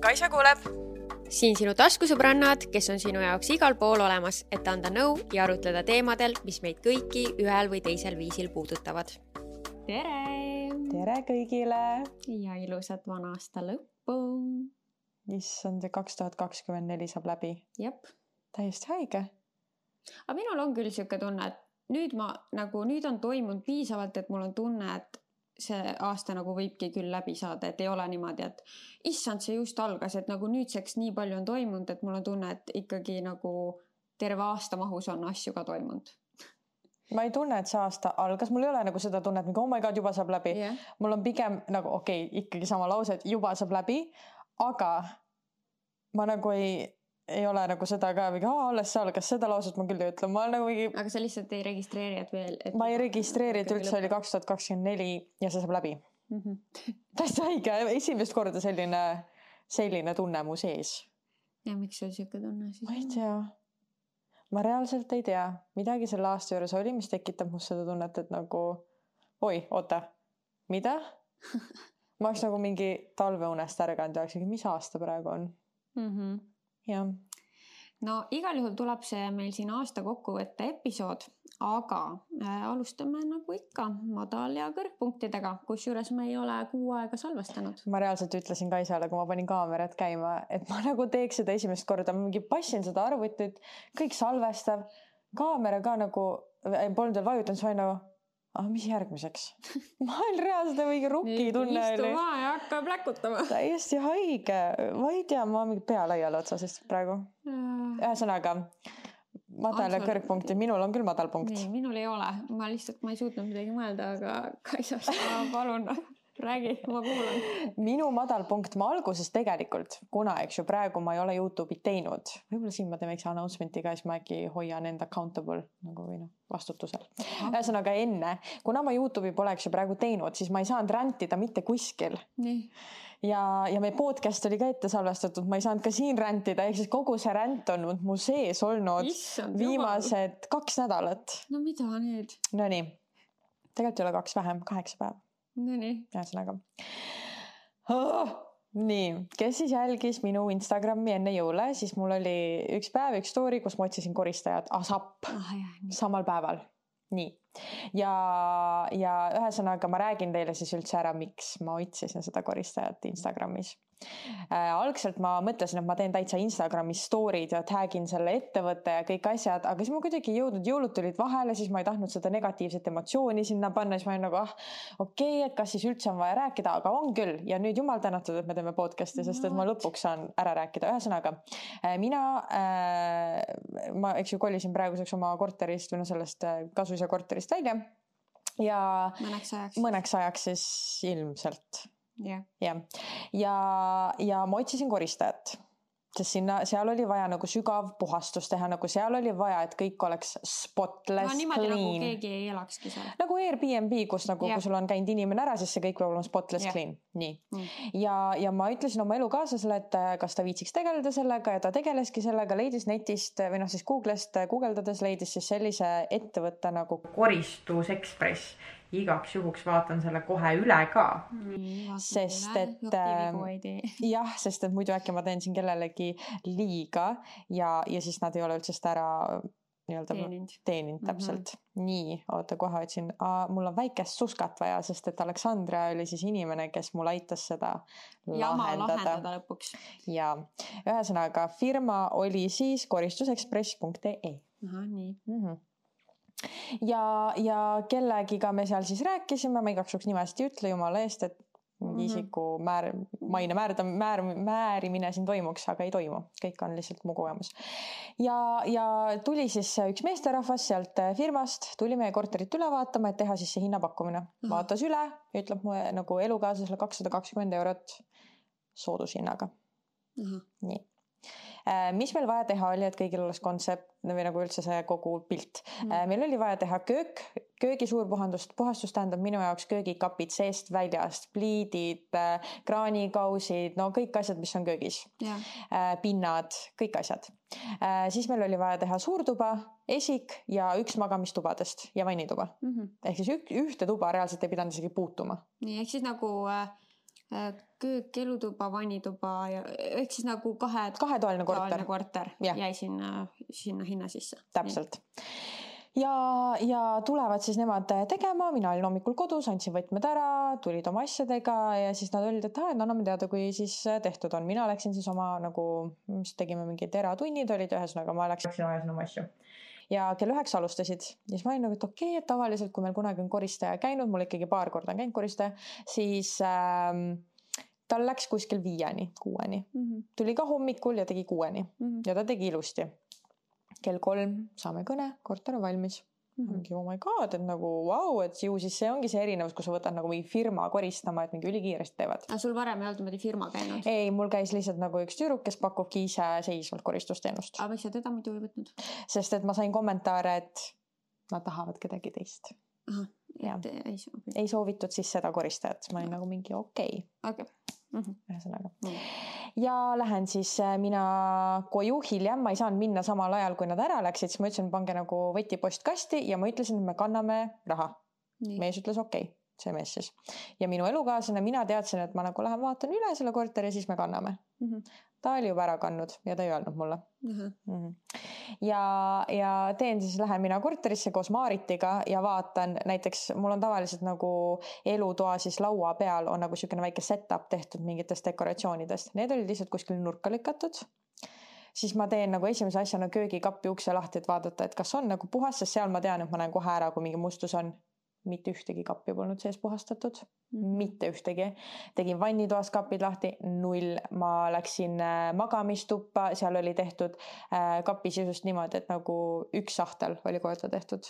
Kaisa kuuleb. Siin sinu taskusõbrannad, kes on sinu jaoks igal pool olemas, et anda nõu ja arutleda teemadel, mis meid kõiki ühel või teisel viisil puudutavad. Tere! Tere kõigile! Ja ilusat vana aasta lõppu! Issand, 2024 saab läbi. Jep. Täiesti haige. Aga minul on küll siuke tunne, et nüüd on toimunud piisavalt, et mul on tunne, et see aasta nagu võibki küll läbi saada, et ei ole niimoodi, et issand, see just algas, et nagu nüüdseks nii palju on toimunud, et mul on tunne, et ikkagi nagu terve aasta mahus on asju ka toimunud. Ma ei tunne, et see aasta algas, mul ei ole nagu seda tunnet, nagu oh my god, juba saab läbi. Yeah. Mul on pigem nagu ikkagi sama lause, et juba saab läbi, aga ma nagu ei ole nagu seda ka, alles see algas, seda lauset ma küll ei ütle. Ma nagu mingi... Aga sa lihtsalt ei registreeri, et veel... Ma ei registreeri, et üldse oli 2024 ja see saab läbi. Täiesti haige, esimest korda selline tunne mu sees. Ja miks sul siuke tunne siis? Ma ei tea. Ma reaalselt ei tea. Midagi selle aasta juures oli, mis tekitab must seda tunnet, et nagu oota, mida? Ma oleks nagu mingi talveunest ärganud ja oleks, mis aasta praegu on? Ja. No igal juhul tuleb see meil siin aasta kokkuvõtte episood, aga alustame nagu ikka madal- ja kõrgpunktidega, kusjuures me ei ole 6 aega salvestanud. Ma reaalselt ütlesin Kaisale, kui ma panin kaamerat käima, et ma nagu teeks seda esimest korda, ma mingi passin seda arvutit, kõik salvestab, kaamera ka nagu polnud veel vajutanud, siis ma nagu mis järgmiseks? Ma olen reaalselt mingi ruki tunne. Istuma ja hakka pläkutama. Täiesti haige. Ma ei tea, ma mingi pea laial otsasest praegu. Ühesõnaga, madal ja kõrgpunkti. Minul on küll madal punkt. Nii, minul ei ole. Ma ei suutnud midagi mõelda, aga Kaisast ma palun räägi, ma kuulan. Minu madal punkt ma alguses tegelikult, kuna praegu ma ei ole YouTube'i teinud. Võib-olla siin ma teen väikse announcement'i ka, siis ma äkki hoian end accountable või vastutusel. Ühesõnaga enne, kuna ma YouTube'i poleks praegu teinud, siis ma ei saanud rantida mitte kuskil. Nii. Ja meie podcast oli ka ette salvestatud, ma ei saanud ka siin rantida, ehk siis kogu see rant on mu sees olnud viimased 2 nädalat. No mida nüüd? No nii, tegelikult ei ole 2 vähem, 8 päeva. Nii. Ühesõnaga. Nii, kes siis jälgis minu Instagrami enne jõule, siis mul oli üks päev, üks story, kus ma otsisin koristajat ASAP samal päeval. Nii. Ja ühesõnaga ma räägin teile siis üldse ära, miks ma otsisin seda koristajat Instagramis. Algselt ma mõtlesin, et ma teen täitsa Instagramis story'd ja tagin selle ettevõtte ja kõik asjad, aga siis ma kuidagi jõulud tulid vahele, siis ma ei tahtnud seda negatiivset emotsiooni sinna panna, siis ma olin nagu, et kas siis üldse on vaja rääkida, aga on küll. Ja nüüd jumal tänatud, et me teeme podcasti, sest et ma lõpuks saan ära rääkida. Ühesõnaga, ma kolisin praeguseks oma korterist või sellest Kasuisa korterist välja ja mõneks ajaks siis ilmselt. Yeah. Ja ma otsisin koristajat, sest seal oli vaja nagu sügav puhastus teha, nagu seal oli vaja, et kõik oleks spotless, niimoodi clean. Nagu keegi ei elakski seal. Nagu Airbnb, kus nagu, kui sul on käinud inimene ära, siis see kõik peab olema spotless, clean. Nii. Ja ma ütlesin oma elukaaslasele, et kas ta viitsiks tegeleda sellega ja ta tegeleski sellega, leidis netist või siis Googlest guugeldades leidis siis sellise ettevõtte nagu Koristus Express. Igaks juhuks vaatan selle kohe üle ka. Sest et muidu äkki ma teen siin kellelegi liiga ja siis nad ei ole üldse seda ära teeninud täpselt. Nii, oota kohe otsin. Mul on väikest suskat vaja, sest et Aleksandra oli siis inimene, kes mul aitas seda lahendada lõpuks. Ja ühesõnaga firma oli siis koristusexpress.ee. Aha, nii. Ja kellegiga me seal siis rääkisime, ma igaks juhuks nimest ei ütle jumala eest, et isiku maine määrimine siin toimuks, aga ei toimu. Kõik on lihtsalt mu kogemus. Ja tuli siis üks meesterahvas sealt firmast, tuli meie korterit üle vaatama, et teha siis see hinnapakkumine. Vaatas üle, ütleb mu nagu elukaaslasele 220 € soodushinnaga. Nii. mis meil vaja teha oli, et kõigil oleks kontsept või nagu üldse see kogu pilt. Meil oli vaja teha köögi suur puhastus tähendab minu jaoks köögikapid seest väljast, pliidid, kraanikausid, no kõik asjad, mis on köögis. Pinnad, kõik asjad. Siis meil oli vaja teha suurtuba, esik ja üks magamistubadest ja vannituba. Ehk siis ühte tuba reaalselt ei pidanud isegi puutuma. Nii, ehk siis nagu köök, elutuba, vannituba ja ehk siis nagu kahetoaline korter jäi sinna hinna sisse. Täpselt. Ja tulevad siis nemad tegema, mina olin hommikul kodus, andsin võtmed ära, tulid oma asjadega ja siis nad olid, et anname teada, kui siis tehtud on. Mina läksin siis oma nagu, mis tegime mingid eratunnid olid, ühesõnaga ma läksin ajasin oma asju. Ja kell 9 alustasid ja siis ma olin nagu, et okei, et tavaliselt kui meil kunagi on koristaja käinud, mul ikkagi paar korda on käinud koristaja, siis tal läks kuskil 5-6. Tuli ka hommikul ja tegi 6 ja ta tegi ilusti. Kell 3 saame kõne, korter on valmis. Oh my god, et nagu wow, et ju siis see ongi see erinevus, kus sa võtad nagu mingi firma koristama, et mingi ülikiiresti teevad. Sul varem ei olnud mõni firma käinud? Ei, mul käis lihtsalt nagu üks tüüruk, kes pakubki ise seisvalt koristusteenust. Aga miks sa teda muidu ei võtnud? Sest et ma sain kommentaare, et nad tahavad kedagi teist. Aha, ei soovitud siis seda koristajat. Ma olin nagu mingi okei. Ühesõnaga. Ja lähen siis mina koju hiljem, ma ei saanud minna samal ajal, kui nad ära läksid, siis ma ütlesin, pange nagu võtipostkasti ja ma ütlesin, et me kanname raha. Mees ütles okei, see mees siis. Ja minu elukaaslane, mina teadsin, et ma nagu lähen vaatan üle selle korteri ja siis me kanname. Ta oli juba ära kannud ja ta ei öelnud mulle. Ja teen siis, lähen mina korterisse koos Maaritiga ja vaatan, näiteks mul on tavaliselt nagu elutoa siis laua peal on nagu selline väike setup tehtud mingitest dekoratsioonidest. Need olid lihtsalt kuskil nurka lükatud. Siis ma teen nagu esimese asjana köögikappi ukse lahti, et vaadata, et kas on nagu puhas, sest seal ma tean, et ma näen kohe ära, kui mingi mustus on. Mitte ühtegi kappi polnud sees puhastatud. Mitte ühtegi. Tegin vannitoas kapid lahti, 0. Ma läksin magamistuppa, seal oli tehtud kapi sisust niimoodi, et nagu üks sahtel oli korda tehtud.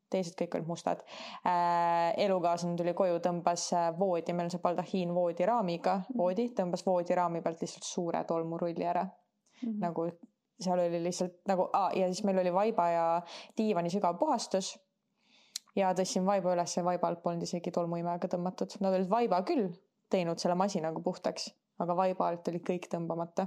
Teised kõik olid mustad. Elukaaslane tuli koju, tõmbas voodi, meil on see baldahiin voodiraamiga, tõmbas voodiraami pealt lihtsalt suure tolmurulli ära. Nagu seal oli lihtsalt nagu, ja siis meil oli vaiba ja diivani sügav puhastus. Ja tõssin vaiba üles ja vaiba alt polnud isegi tolmuimeaga tõmmatud. Nad olid vaiba küll teinud selle masinaga puhtaks, aga vaiba alt oli kõik tõmbamata.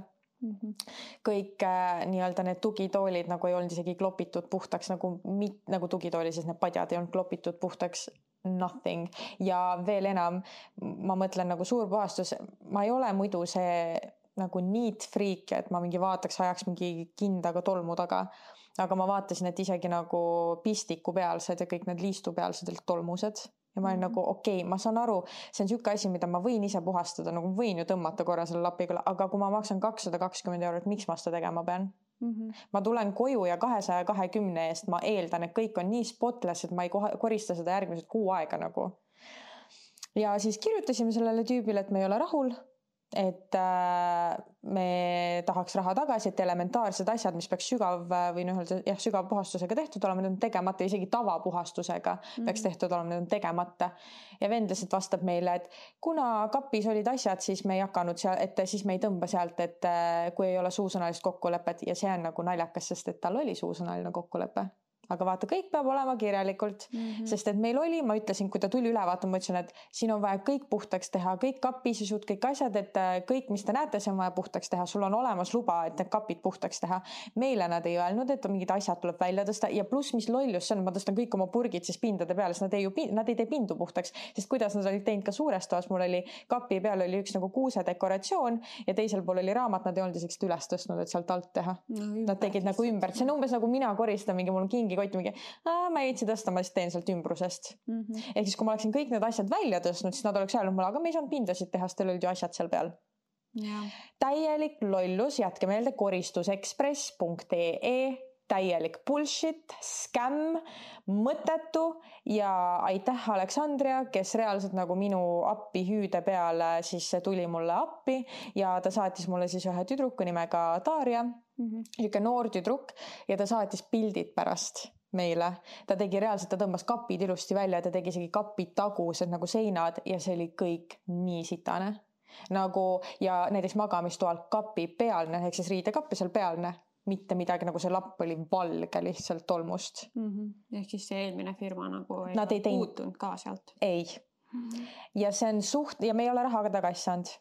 Kõik nii-öelda need tugitoolid nagu ei olnud isegi klopitud puhtaks, nagu tugitooli, siis need padjad ei olnud klopitud puhtaks. Nothing. Ja veel enam, ma mõtlen nagu suur puhastus, ma ei ole muidu see nagu neat freak, et ma mingi vaataks, ajaks mingi kindaga tolmu taga. Aga ma vaatasin, et isegi nagu pistiku pealsed ja kõik need liistu pealsed olid tolmused. Ja ma olin nagu okei, ma saan aru, see on siuke asi, mida ma võin ise puhastada, nagu võin ju tõmmata korra selle lapiga, aga kui ma maksan 220 €, miks ma seda tegema pean? Ma tulen koju ja 220 eest ma eeldan, et kõik on nii spotless, et ma ei korista seda järgmised 6 aega nagu. Ja siis kirjutasime sellele tüübile, et me ei ole rahul. Et me tahaks raha tagasi, et elementaarsed asjad, mis peaks sügav puhastusega tehtud olema, need on tegemata, isegi tavapuhastusega peaks tehtud olema, need on tegemata. Ja vend lihtsalt vastab meile, et kuna kapis olid asjad, siis me ei hakanud seal, et siis me ei tõmba sealt, et kui ei ole suusõnalist kokkulepet ja see on nagu naljakas, sest et tal oli suusõnaline kokkulepe. Aga vaata, kõik peab olema kirjalikult, sest et meil oli, ma ütlesin, kui ta tuli üle vaatama, ma ütlesin, et siin on vaja kõik puhtaks teha, kõik kapisisud, kõik asjad, et kõik, mis te näete, see on vaja puhtaks teha. Sul on olemas luba, et need kapid puhtaks teha. Meile nad ei öelnud, et mingid asjad tuleb välja tõsta ja pluss, mis lollus see on, ma tõstan kõik oma purgid siis pindade peale, sest nad ei tee pindu puhtaks, sest kuidas nad olid teinud ka suures toas, mul oli kapi peal oli üks nagu kuuse dekoratsioon ja teisel pool oli raamat, nad ei olnud isegi üles tõstnud, et sealt alt teha. Nad tegid nagu ümber, see on umbes nagu mina koristan mingi, mul on kingikotti mingi, ma ei jõudsi tõsta, ma siis teen sealt ümbrusest. Ehk siis, kui ma oleksin kõik need asjad välja tõstnud, siis nad oleks öelnud mulle, aga me ei saanud pindasid teha, sest teil olid ju asjad seal peal. Täielik lollus, jätke meelde koristusexpress.ee, täielik bullshit, scam, mõttetu ja aitäh Aleksandria, kes reaalselt nagu minu appi hüüde peale siis tuli mulle appi ja ta saatis mulle siis ühe tüdruku nimega Darja, siuke noor tüdruk ja ta saatis pildid pärast meile. Ta tegi reaalselt, ta tõmbas kapid ilusti välja, ta tegi isegi kapid tagused nagu seinad ja see oli kõik nii sitane. nagu ja näiteks magamistoal kapi pealne ehk siis riidekapp ja seal pealne mitte midagi, nagu see lapp oli valge lihtsalt tolmust. Ehk siis see eelmine firma nagu ei puutunud ka sealt? Ei. Ja see on ja me ei ole rahaga tagasi saanud.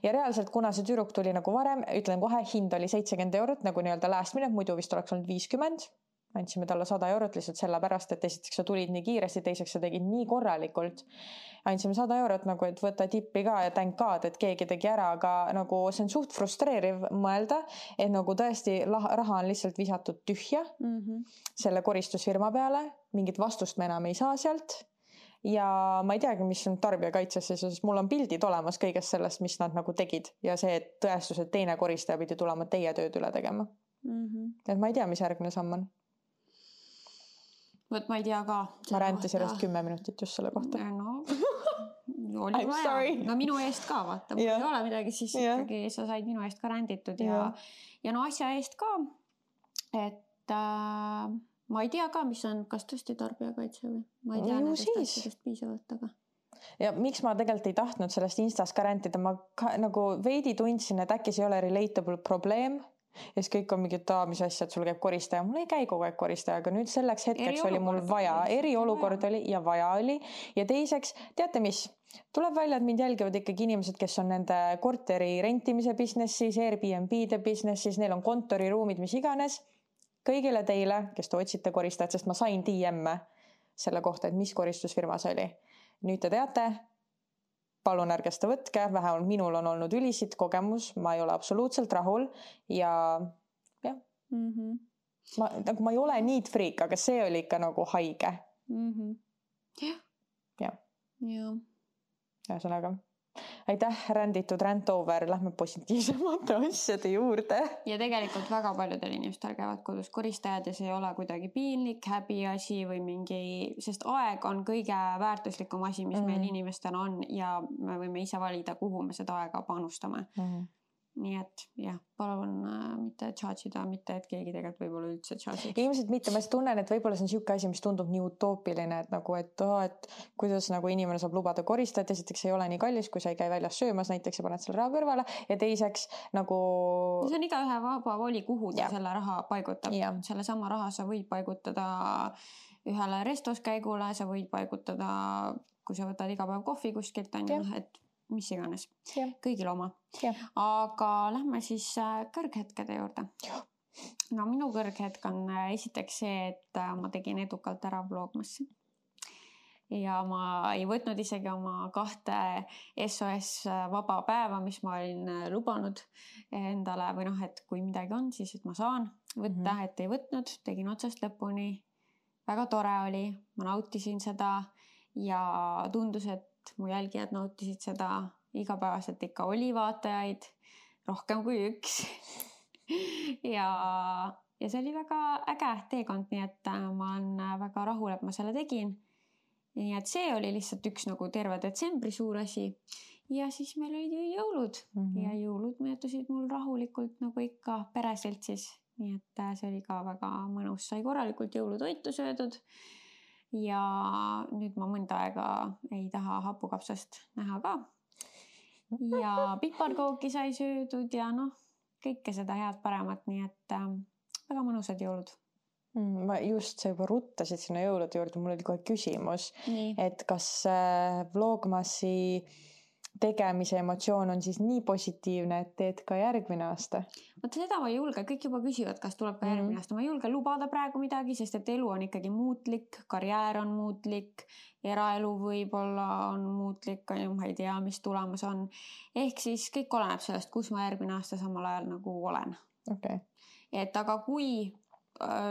Ja reaalselt, kuna see tüdruk tuli nagu varem, ütlen kohe, hind oli 70 eurot nagu nii-öelda last minute, muidu vist oleks olnud 50. Andsime talle 100 eurot lihtsalt selle pärast, et esiteks sa tulid nii kiiresti, teiseks sa tegid nii korralikult. Andsime 100 eurot nagu, et võtta tippi ka ja thank God, et keegi tegi ära, aga nagu see on suht frustreeriv mõelda, et nagu tõesti raha on lihtsalt visatud tühja selle koristusfirma peale, mingit vastust me enam ei saa sealt. Ja ma ei teagi, mis on tarbijakaitsesse, sest mul on pildid olemas kõigest sellest, mis nad nagu tegid ja see tõestus, et teine koristaja pidi tulema teie tööd üle tegema. Et ma ei tea, mis järgmine samm on. Võt ma ei tea ka. Ma räntasin järjest 10 minutit just selle kohta. No, oli vaja. No minu eest ka, vaata. Kui ei ole midagi, siis ikkagi sa said minu eest ka ränditud ja no asja eest ka. Et ma ei tea ka, mis on, kas tõesti tarbijakaitse või? Ma ei tea nendest asjadest piisavalt, aga... Ja miks ma tegelikult ei tahtnud sellest Instas ka räntida, ma nagu veidi tundsin, et äkki see ei ole relatable probleem ja siis kõik on mingi, mis asja, et sul käib koristaja. Mul ei käi kogu aeg koristaja, aga nüüd selleks hetkeks oli mul vaja. Eriolukord oli ja vaja oli. Ja teiseks, teate mis? Tuleb välja, et mind jälgivad ikkagi inimesed, kes on nende korteri rentimise businessis, Airbnb-de businessis, neil on kontoriruumid, mis iganes. Kõigile teile, kes te otsite koristajat, sest ma sain DM-e selle kohta, et mis koristusfirma see oli. Nüüd te teate, palun ärge seda võtke, vähemalt minul on olnud ülisid kogemus, ma ei ole absoluutselt rahul ja jah. Ma ei ole need freak, aga see oli ikka nagu haige. Jah. Ühesõnaga. Aitäh, ränditud rant over, lähme positiivsemate asjade juurde. Ja tegelikult väga paljudel inimestel käivad kodus koristajad ja see ei ole kuidagi piinlik, häbiasi või mingi, sest aeg on kõige väärtuslikum asi, mis meil inimestel on ja me võime ise valida, kuhu me seda aega panustame. Nii et jah, palun mitte charge'ida, mitte et keegi tegelikult võib-olla üldse charge'ib. Ilmselt mitte, ma tunnen, et võib-olla see on siuke asi, mis tundub nii utoopiline, et nagu, et kuidas nagu inimene saab lubada koristajat, esiteks ei ole nii kallis, kui sa ei käi väljas söömas näiteks ja paned selle raha kõrvale ja teiseks nagu... See on igaühe vaba voli, kuhu ta selle raha paigutab. Selle sama raha sa võid paigutada ühele restoskäigule, sa võid paigutada, kui sa võtad iga päev kohvi kuskilt, et mis iganes. Kõigil oma. Aga lähme siis kõrghetkede juurde. No minu kõrghetk on esiteks see, et ma tegin edukalt ära vlogmassi. Ja ma ei võtnud isegi oma 2 SOS vaba päeva, mis ma olin lubanud endale või et kui midagi on, siis et ma saan võtta, et ei võtnud. Tegin otsast lõpuni. Väga tore oli. Ma nautisin seda ja tundus, et mu jälgijad nautisid seda igapäevaselt ikka oli vaatajaid rohkem kui 1 ja see oli väga äge teekond, nii et ma olen väga rahul, et ma selle tegin. Nii et see oli lihtsalt üks nagu terve detsembri suur asi ja siis meil olid ju jõulud ja jõulud möödusid mul rahulikult nagu ikka pereseltsis, nii et see oli ka väga mõnus, sai korralikult jõulutoitu söödud. Ja nüüd ma mõnda aega ei taha hapukapsast näha ka. Ja piparkooki sai söödud ja kõike seda head paremat, nii et väga mõnusad jõulud. Ma just sa juba ruttasid sinna jõulude juurde, mul oli kohe küsimus, et kas vlogmassi tegemise emotsioon on siis nii positiivne, et teed ka järgmine aasta? Vaata seda ma ei julge, kõik juba küsivad, kas tuleb ka järgmine aasta. Ma ei julge lubada praegu midagi, sest et elu on ikkagi muutlik, karjäär on muutlik, eraelu võib-olla on muutlik, ma ei tea, mis tulemas on. Ehk siis kõik oleneb sellest, kus ma järgmine aasta samal ajal nagu olen. Okay. Et aga kui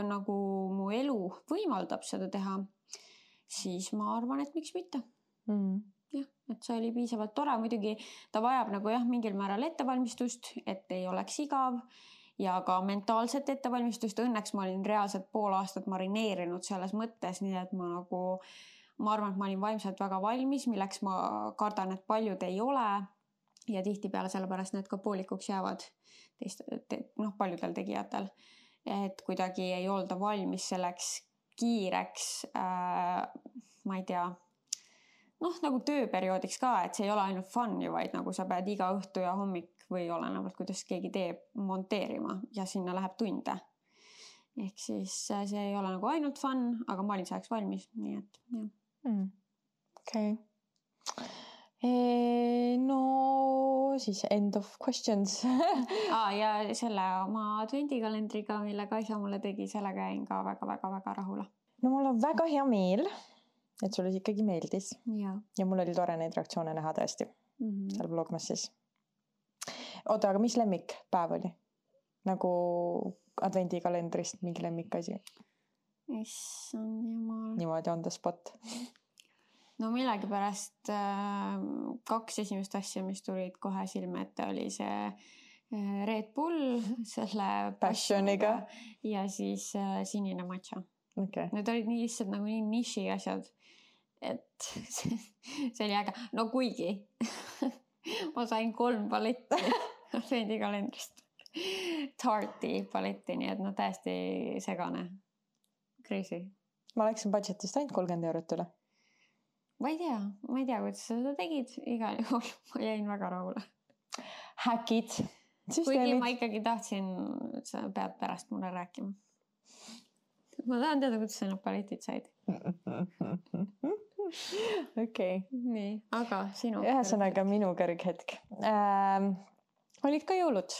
nagu mu elu võimaldab seda teha, siis ma arvan, et miks mitte. Jah, et see oli piisavalt tore, muidugi ta vajab nagu mingil määral ettevalmistust, et ei oleks igav ja ka mentaalset ettevalmistust. Õnneks ma olin reaalselt pool aastat marineerinud selles mõttes, nii et ma arvan, et ma olin vaimselt väga valmis, milleks ma kardan, et paljud ei ole ja tihtipeale sellepärast need ka poolikuks jäävad paljudel tegijatel, et kuidagi ei olda valmis selleks kiireks, ma ei tea, nagu tööperioodiks ka, et see ei ole ainult fun ju, vaid nagu sa pead iga õhtu ja hommik või olenevalt, kuidas keegi teeb, monteerima ja sinna läheb tunde. Ehk siis see ei ole nagu ainult fun, aga ma olin selleks valmis, nii et jah. Okei. No siis end of questions. Ja selle oma advendikalendriga, mille Kaisa mulle tegi, sellega jäin ka väga rahule. No mul on väga hea meel, et sulle ikkagi meeldis. Ja mul oli tore neid reaktsioone näha tõesti seal Vlogmas siis. Oota, aga mis lemmikpäev oli? Nagu advendikalendrist mingi lemmikasi? Issand jumal. Niimoodi on the spot. No millegipärast 2 esimest asja, mis tulid kohe silme ette, oli see Red Bull selle Passioniga ja siis sinine matcha. Okay. Need olid nii lihtsalt nagu nii niši asjad, et see oli äge. No kuigi ma sain 3 paletti advendikalendrist. Tarti paletti, nii et täiesti segane. Crazy. Ma läksin budgetist ainult 30 eurot üle. Ma ei tea, kuidas sa seda tegid. Igal juhul ma jäin väga rahule. Häkid. Kuigi ma ikkagi tahtsin, et sa pead pärast mulle rääkima. Ma tahan teada, kuidas sa need paletid said. Okei. Nii, aga sinu. Ühesõnaga minu kõrghetk. Olid ka jõulud.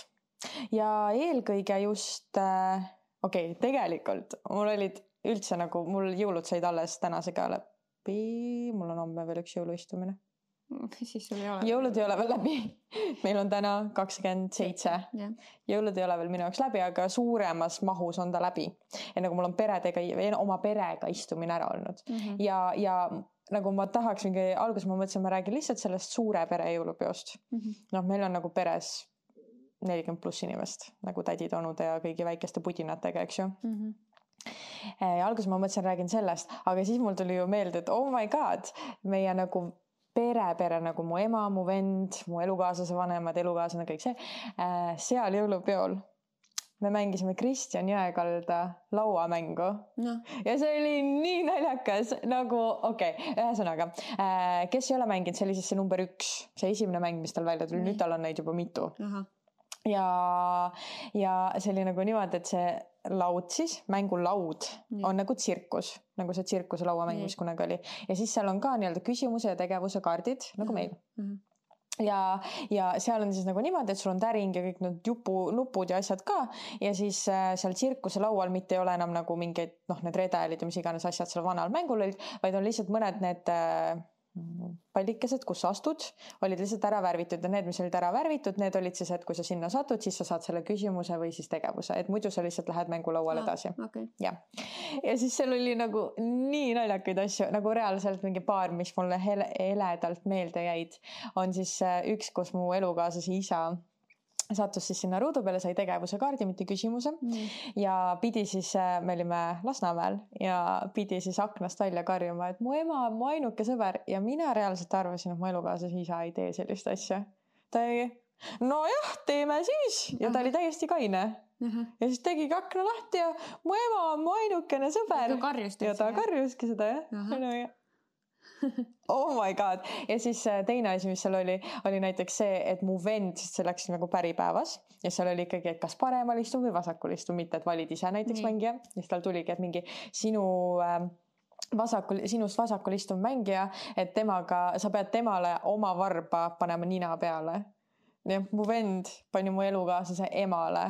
Ja eelkõige just, tegelikult mul olid üldse nagu, mul jõulud said alles tänasega läbi. Mul on homme veel üks jõuluistumine. Siis sul ei ole. Jõulud ei ole veel läbi. Meil on täna 27. Jõulud ei ole veel minu jaoks läbi, aga suuremas mahus on ta läbi. Ja nagu mul on oma perega istumine ära olnud. Ja nagu ma tahaks alguses ma mõtlesin, ma räägin lihtsalt sellest suure pere jõulupeost. Meil on nagu peres 40+ inimest, nagu tädid, onude ja kõigi väikeste pudinatega, eks ju. Ja alguses ma mõtlesin, räägin sellest, aga siis mul tuli ju meelde, et oh my god, meie nagu pere nagu mu ema, mu vend, mu elukaaslase vanemad, elukaaslane, kõik see, seal jõulupeol me mängisime Kristjan Jõekalda lauamängu. Ja see oli nii naljakas, nagu ühesõnaga, kes ei ole mänginud, see oli siis see number 1, see esimene mäng, mis tal välja tuli, nüüd tal on neid juba mitu. Ja see oli nagu niimoodi, et see laud siis, mängulaud on nagu tsirkus, nagu see tsirkuse lauamäng, mis kunagi oli. Ja siis seal on ka nii-öelda küsimuse ja tegevuse kaardid, nagu meil. Ja seal on siis nagu niimoodi, et sul on täring ja kõik need nupud ja asjad ka. Ja siis seal tsirkuse laual mitte ei ole enam nagu mingeid, need redelid ja mis iganes asjad seal vanal mängul olid, vaid on lihtsalt mõned need pallikesed, kus sa astud, olid lihtsalt ära värvitud ja need, mis olid ära värvitud, need olid siis, et kui sa sinna satud, siis sa saad selle küsimuse või siis tegevuse, et muidu sa lihtsalt lähed mängulauale edasi. Ja siis seal oli nagu nii naljakaid asju, nagu reaalselt mingi paar, mis mulle heledalt meelde jäid, on siis üks, kus mu elukaaslase isa sattus siis sinna ruudu peale, sai tegevuse kaardi, mitte küsimuse ja pidi siis, me olime Lasnamäel ja pidi siis aknast välja karjuma, et mu ema on mu ainuke sõber ja mina reaalselt arvasin, et mu elukaaslase isa ei tee sellist asja. Ta ei, nojah, teeme siis ja ta oli täiesti kaine ja siis tegigi akna lahti ja mu ema on mu ainukene sõber ja ta karjuski seda jah. Oh my god. Ja siis teine asi, mis seal oli näiteks see, et mu vend, see läks nagu päripäevas ja seal oli ikkagi, et kas paremal istun või vasakul istun, mitte et valid ise näiteks mängija. Ja siis tal tuligi, et mingi sinust vasakul istuv mängija, et sa pead temale oma varba panema nina peale. Ja mu vend pani mu elukaaslase emale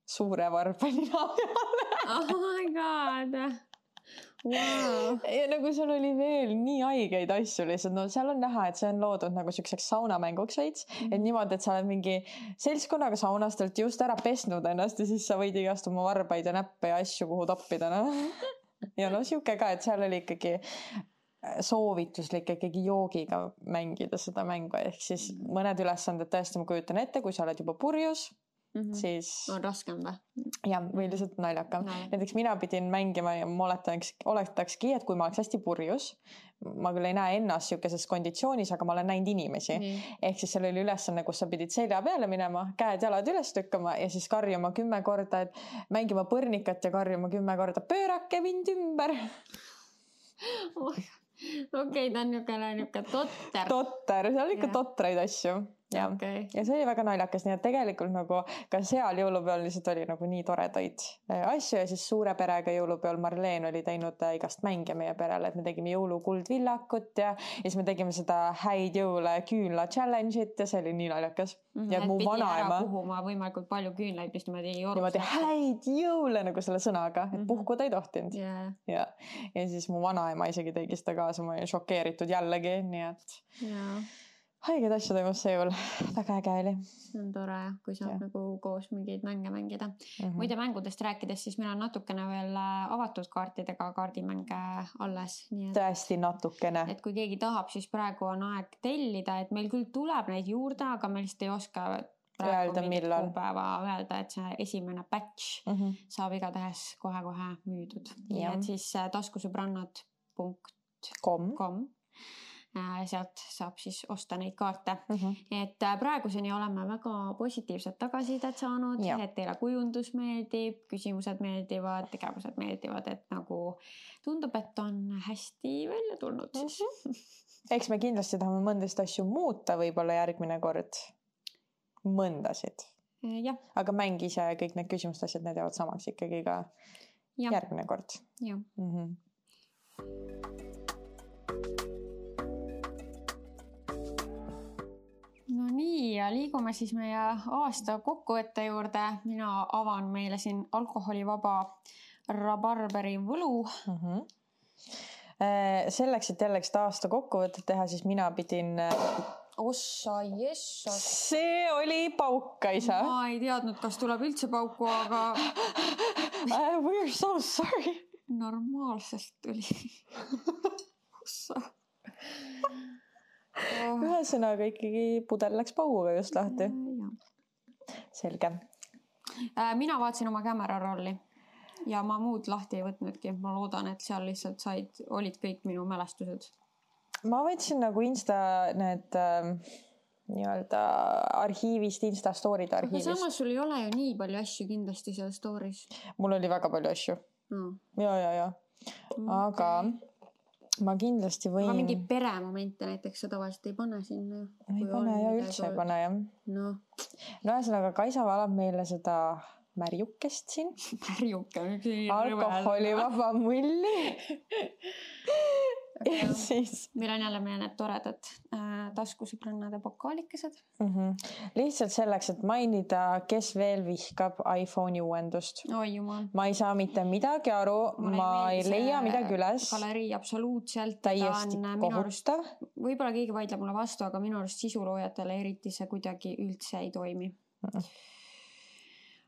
suure varba nina peale. Oh my god. Wow. Ja nagu seal oli veel nii haigeid asju lihtsalt, seal on näha, et see on loodud nagu selliseks saunamänguks veits, et niimoodi, et sa oled mingi seltskonnaga saunastelt just ära pesnud ennast ja siis sa võid igast oma varbaid ja näppe ja asju kuhu toppida. Ja siuke ka, et seal oli ikkagi soovituslik ikkagi joogiga mängida seda mängu, ehk siis mõned ülesanded tõesti ma kujutan ette, kui sa oled juba purjus, siis on raskem või? Jah, või lihtsalt naljakam. Näiteks mina pidin mängima ja ma oletakski, et kui ma oleks hästi purjus, ma küll ei näe ennast siukeses konditsioonis, aga ma olen näinud inimesi. Ehk siis seal oli ülesanne, kus sa pidid selja peale minema, käed-jalad üles tükkama ja siis karjuma 10 korda, et mängima põrnikat ja karjuma 10 korda, pöörake mind ümber. Okei, ta on niisugune totter. Totter, seal on ikka totraid asju. Ja. Okay. Ja see oli väga naljakas, nii et tegelikult nagu ka seal jõulupeol lihtsalt oli nagu nii toredaid asju ja siis suure perega jõulupeol Marleen oli teinud igast mänge meie perele, et me tegime jõulukuldvillakut ja siis me tegime seda häid jõule küünla challenge'it ja see oli nii naljakas. Ja et mu pidi vanaema ära puhuma võimalikult palju küünlaid, mis niimoodi häid jõule nagu selle sõnaga, et puhkuda ei tohtinud. Ja siis mu vanaema isegi tegi seda kaasa, ma olin šokeeritud jällegi, nii et haiged asju toimus see jõul. Väga äge oli. See on tore, kui saab nagu koos mingeid mänge mängida. Muide mängudest rääkides, siis meil on natukene veel avatud kaartidega kaardimänge alles. Nii et, tõesti natukene. Et kui keegi tahab, siis praegu on aeg tellida, et meil küll tuleb neid juurde, aga me lihtsalt ei oska praegu mingit kuupäeva öelda, et see esimene batch saab igatahes kohe-kohe müüdud. Nii et siis taskusõbrannad.com sealt saab siis osta neid kaarte. Et praeguseni oleme väga positiivset tagasisidet saanud, et teile kujundus meeldib, küsimused meeldivad, tegevused meeldivad, et nagu tundub, et on hästi välja tulnud siis. Eks me kindlasti tahame mõndast asju muuta võib-olla järgmine kord. Mõndasid. Aga mäng ise ja kõik need küsimuste asjad, need jäävad samaks ikkagi ka järgmine kord. No nii, ja liigume siis meie aasta kokkuvõtte juurde. Mina avan meile siin alkoholivaba rabarberi võlu. Selleks, et jällegi seda aasta kokkuvõtet teha, siis mina pidin... Ossa, jessa. See oli pauk, isa. Ma ei teadnud, kas tuleb üldse pauku, aga... We're so sorry. Normaalselt tuli. Ossa. Ühesõnaga ikkagi pudel läks pauguga just lahti. Selge. Mina vaatasin oma camera rolli ja ma muud lahti ei võtnudki. Ma loodan, et seal lihtsalt olid kõik minu mälestused. Ma võtsin nagu Insta need nii-öelda arhiivist, Insta story'd arhiivist. Aga samas sul ei ole ju nii palju asju kindlasti seal story's. Mul oli väga palju asju. Ja. Aga... Ma kindlasti võin... Aga mingi peremomente näiteks sa tavaliselt ei pane sinna. Ei pane ja üldse ei pane, jah. No ühesõnaga, Kaisa valab meile seda märjukest siin. Märjuke. Alkoholivaba mulli. Ja siis... Meil on jälle meie need toredad taskusõbrannade pokaalikesed. Lihtsalt selleks, et mainida, kes veel vihkab iPhone'i uuendust. Oi jumal. Ma ei saa mitte midagi aru, ma ei leia midagi üles. Galerii absoluutselt. Täiesti kohutav. Võib-olla keegi vaidleb mulle vastu, aga minu arust sisuloojatele eriti see kuidagi üldse ei toimi.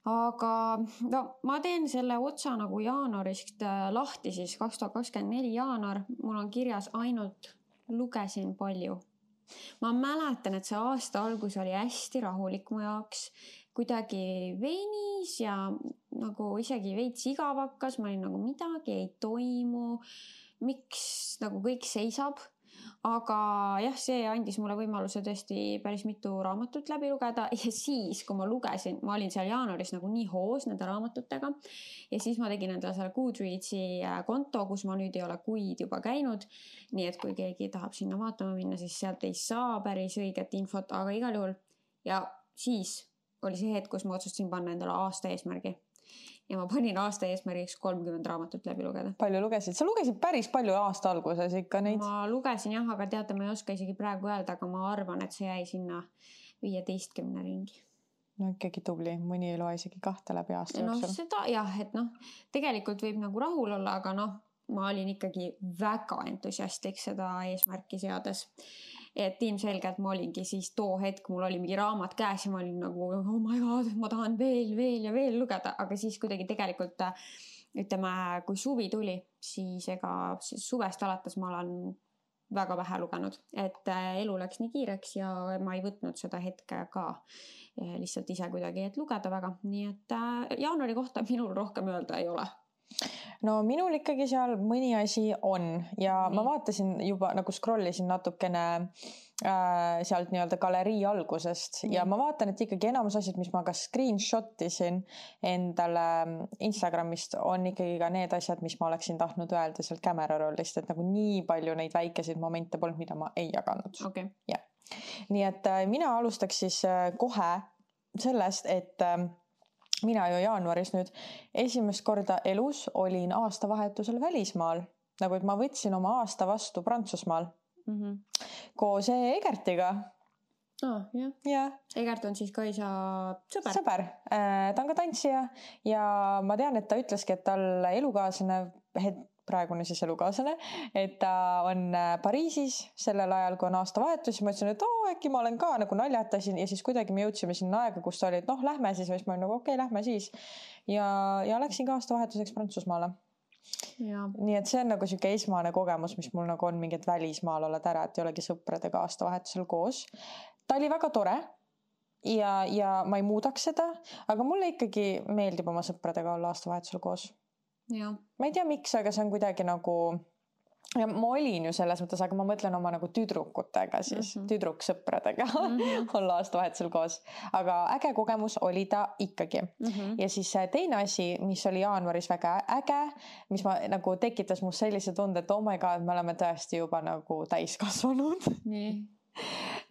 Aga no, ma teen selle otsa nagu jaanuarist lahti siis 2024 jaanuar. Mul on kirjas ainult lugesin palju. Ma mäletan, et see aasta algus oli hästi rahulik mu jaoks. Kuidagi venis ja nagu isegi veits igav hakkas. Ma olin nagu midagi ei toimu. Miks nagu kõik seisab? Aga jah, see andis mulle võimaluse tõesti päris mitu raamatut läbi lugeda ja siis, kui ma lugesin, ma olin seal jaanuaris nagu nii hoos nende raamatutega ja siis ma tegin endale selle Goodreadsi konto, kus ma nüüd ei ole kuid juba käinud, nii et kui keegi tahab sinna vaatama minna, siis sealt ei saa päris õiget infot, aga igal juhul ja siis oli see hetk, kus ma otsustasin panna endale aasta eesmärgi. Ja ma panin aasta eesmärgiks 30 raamatut läbi lugeda. Palju lugesid? Sa lugesid päris palju aasta alguses ikka neid? Ma lugesin jah, aga teate, ma ei oska isegi praegu öelda, aga ma arvan, et see jäi sinna 15 ringi. No ikkagi tubli, mõni ei loe isegi 2 läbi aasta jooksul. No seda jah, et tegelikult võib nagu rahul olla, aga ma olin ikkagi väga entusiastlik seda eesmärki seades. Et ilmselgelt ma olingi siis too hetk, mul oli mingi raamat käes ja ma olin nagu, oh my god, ma tahan veel ja veel lugeda, aga siis kuidagi tegelikult, ütleme, kui suvi tuli, siis suvest alates ma olen väga vähe lugenud, et elu läks nii kiireks ja ma ei võtnud seda hetke ka lihtsalt ise kuidagi, et lugeda väga, nii et jaanuari kohta minul rohkem öelda ei ole. no minul ikkagi seal mõni asi on ja ma vaatasin juba nagu scrollisin natukene sealt nii-öelda galerii algusest ja ma vaatan, et ikkagi enamus asjad, mis ma ka screenshot isin endale Instagramist, on ikkagi ka need asjad, mis ma oleksin tahtnud öelda sealt camera rollist, et nagu nii palju neid väikeseid momente polnud, mida ma ei jaganud. Okay. Ja. Nii et mina alustaks siis kohe sellest, et mina ju jaanuaris nüüd esimest korda elus olin aastavahetusel välismaal, nagu et ma võtsin oma aasta vastu Prantsusmaal. Koos Egertiga. Jah. Ja. Egert on siis ka isa sõber. Sõber. Ta on ka tantsija ja ma tean, et ta ütleski, et tal elukaaslane, praegune siis elukaaslane, et ta on Pariisis sellel ajal, kui on aastavahetus ja ma ütlesin, et äkki ma olen ka nagu naljatasin ja siis kuidagi me jõudsime sinna aega, kus ta oli, et lähme siis, ja siis ma olin nagu okei, lähme siis ja läksin ka aastavahetuseks Prantsusmaale. Ja. Nii et see on nagu siuke esmane kogemus, mis mul nagu on mingit välismaal oled ära, et ei olegi sõpradega aastavahetusel koos. Ta oli väga tore ja ma ei muudaks seda, aga mulle ikkagi meeldib oma sõpradega olla aastavahetusel koos. Ja. Ma ei tea miks, aga see on kuidagi nagu ja ma olin ju selles mõttes, aga ma mõtlen oma nagu tüdrukutega siis, tüdruksõpradega olla aastavahetusel koos. Aga äge kogemus oli ta ikkagi. Ja siis teine asi, mis oli jaanuaris väga äge, mis ma nagu tekitas must sellise tunde, et oh my god, me oleme tõesti juba nagu täiskasvanud. Nii.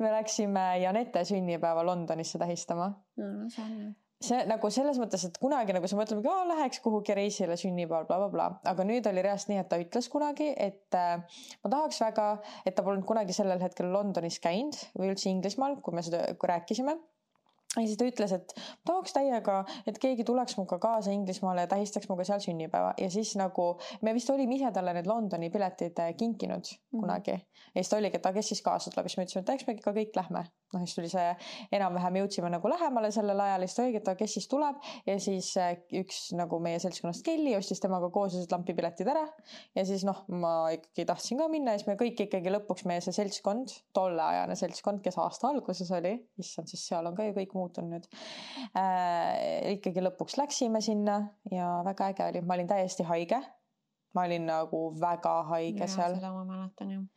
Me läksime Janette sünnipäeva Londonisse tähistama. No, see on see nagu selles mõttes, et kunagi nagu sa mõtled, läheks kuhugi reisile sünnipäeval, bla. Aga nüüd oli reast nii, et ta ütles kunagi, et ma tahaks väga, et ta polnud kunagi sellel hetkel Londonis käinud või üldse Inglismaal, kui me seda rääkisime. Ja siis ta ütles, et tahaks täiega, et keegi tuleks muga kaasa Inglismaale ja tähistaks muga seal sünnipäeva. Ja siis nagu, me vist olime ise talle need Londoni piletid kinkinud kunagi. Ja siis ta oligi, et kes siis kaasa tuleb. Siis me ütlesime, et eks me ikka kõik lähme. Siis tuli see enam-vähem jõudsime nagu lähemale sellel ajal. Siis ta oligi, et kes siis tuleb. Ja siis üks nagu meie seltskonnast Kelly ostis temaga koos lampipiletid ära. Ja siis ma ikkagi tahtsin ka minna. Ja siis me kõik ikkagi lõpuks meie see seltskond, tolleajane seltskond, kes aasta alguses oli. Issand, siis seal on ka ju kõik muutun nüüd. Ikkagi lõpuks läksime sinna ja väga äge oli. Ma olin täiesti haige. Ma olin nagu väga haige seal. Seda ma mäletan, jah.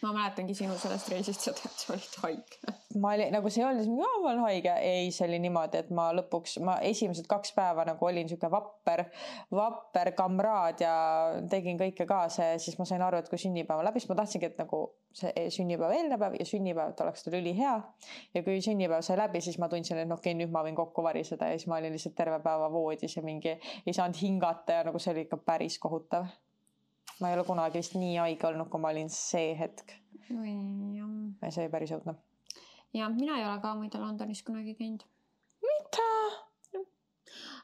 Ma mäletangi sinu sellest reisist seda, et sa olid haige. Ma olin, nagu see oli, ma olen haige. Ei, see oli niimoodi, et ma lõpuks, esimesed 2 päeva nagu olin siuke vapper kamraad ja tegin kõike kaasa ja siis ma sain aru, et kui sünnipäeva läbi, siis ma tahtsingi, et nagu see sünnipäeva eelne päev ja sünnipäev, et oleks tal ülihea. Ja kui sünnipäev sai läbi, siis ma tundsin, et okei, nüüd ma võin kokku variseda ja siis ma olin lihtsalt terve päeva voodis ja mingi ei saanud hingata ja nagu see oli ikka päris kohutav. Ma ei ole kunagi vist nii haige olnud, kui ma olin see hetk. Ja see päris õudne. Ja mina ei ole ka muide Londonis kunagi käinud. Mida?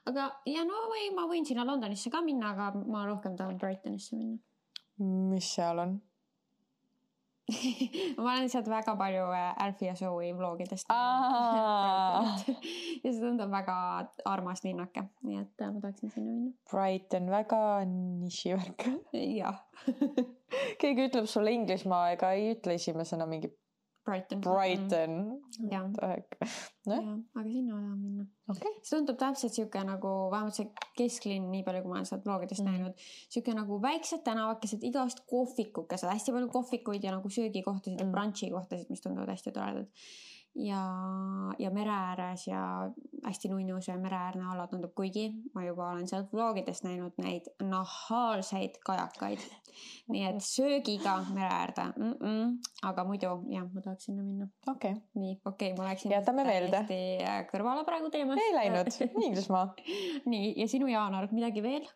Aga ja ma võin sinna Londonisse ka minna, aga ma rohkem tahan Brightonisse minna. Mis seal on? Ma olen lihtsalt väga palju Alfie ja Zoe vlogidest. Ja see tundub väga armas linnake, nii et ma tahaksin sinna minna. Brighton, väga nišivärk. Jah. Keegi ütleb sulle Inglismaa ega ei ütle esimesena mingi Brighton. Ja. Aga sinna tahan minna. Okay. See tundub täpselt siuke nagu, vähemalt see kesklinn, nii palju kui ma olen sealt vlogidest näinud, siuke nagu väiksed tänavakesed, igast kohvikukesed, hästi palju kohvikuid ja nagu söögikohtasid ja brunchi kohtasid, mis tunduvad hästi toredad. Ja mere ääres ja hästi nunnus ja mere äärne ala tundub, kuigi ma juba olen sealt vlogidest näinud neid nahaalseid kajakaid. Nii et söögiga mere äärde. Aga muidu, jah, ma tahaks sinna minna. Okay. Nii, okei, ma läksin jätame meelde. Kõrvale praegu teemast. Ei läinud, Inglismaa. Nii, ja sinu jaanuar, midagi veel?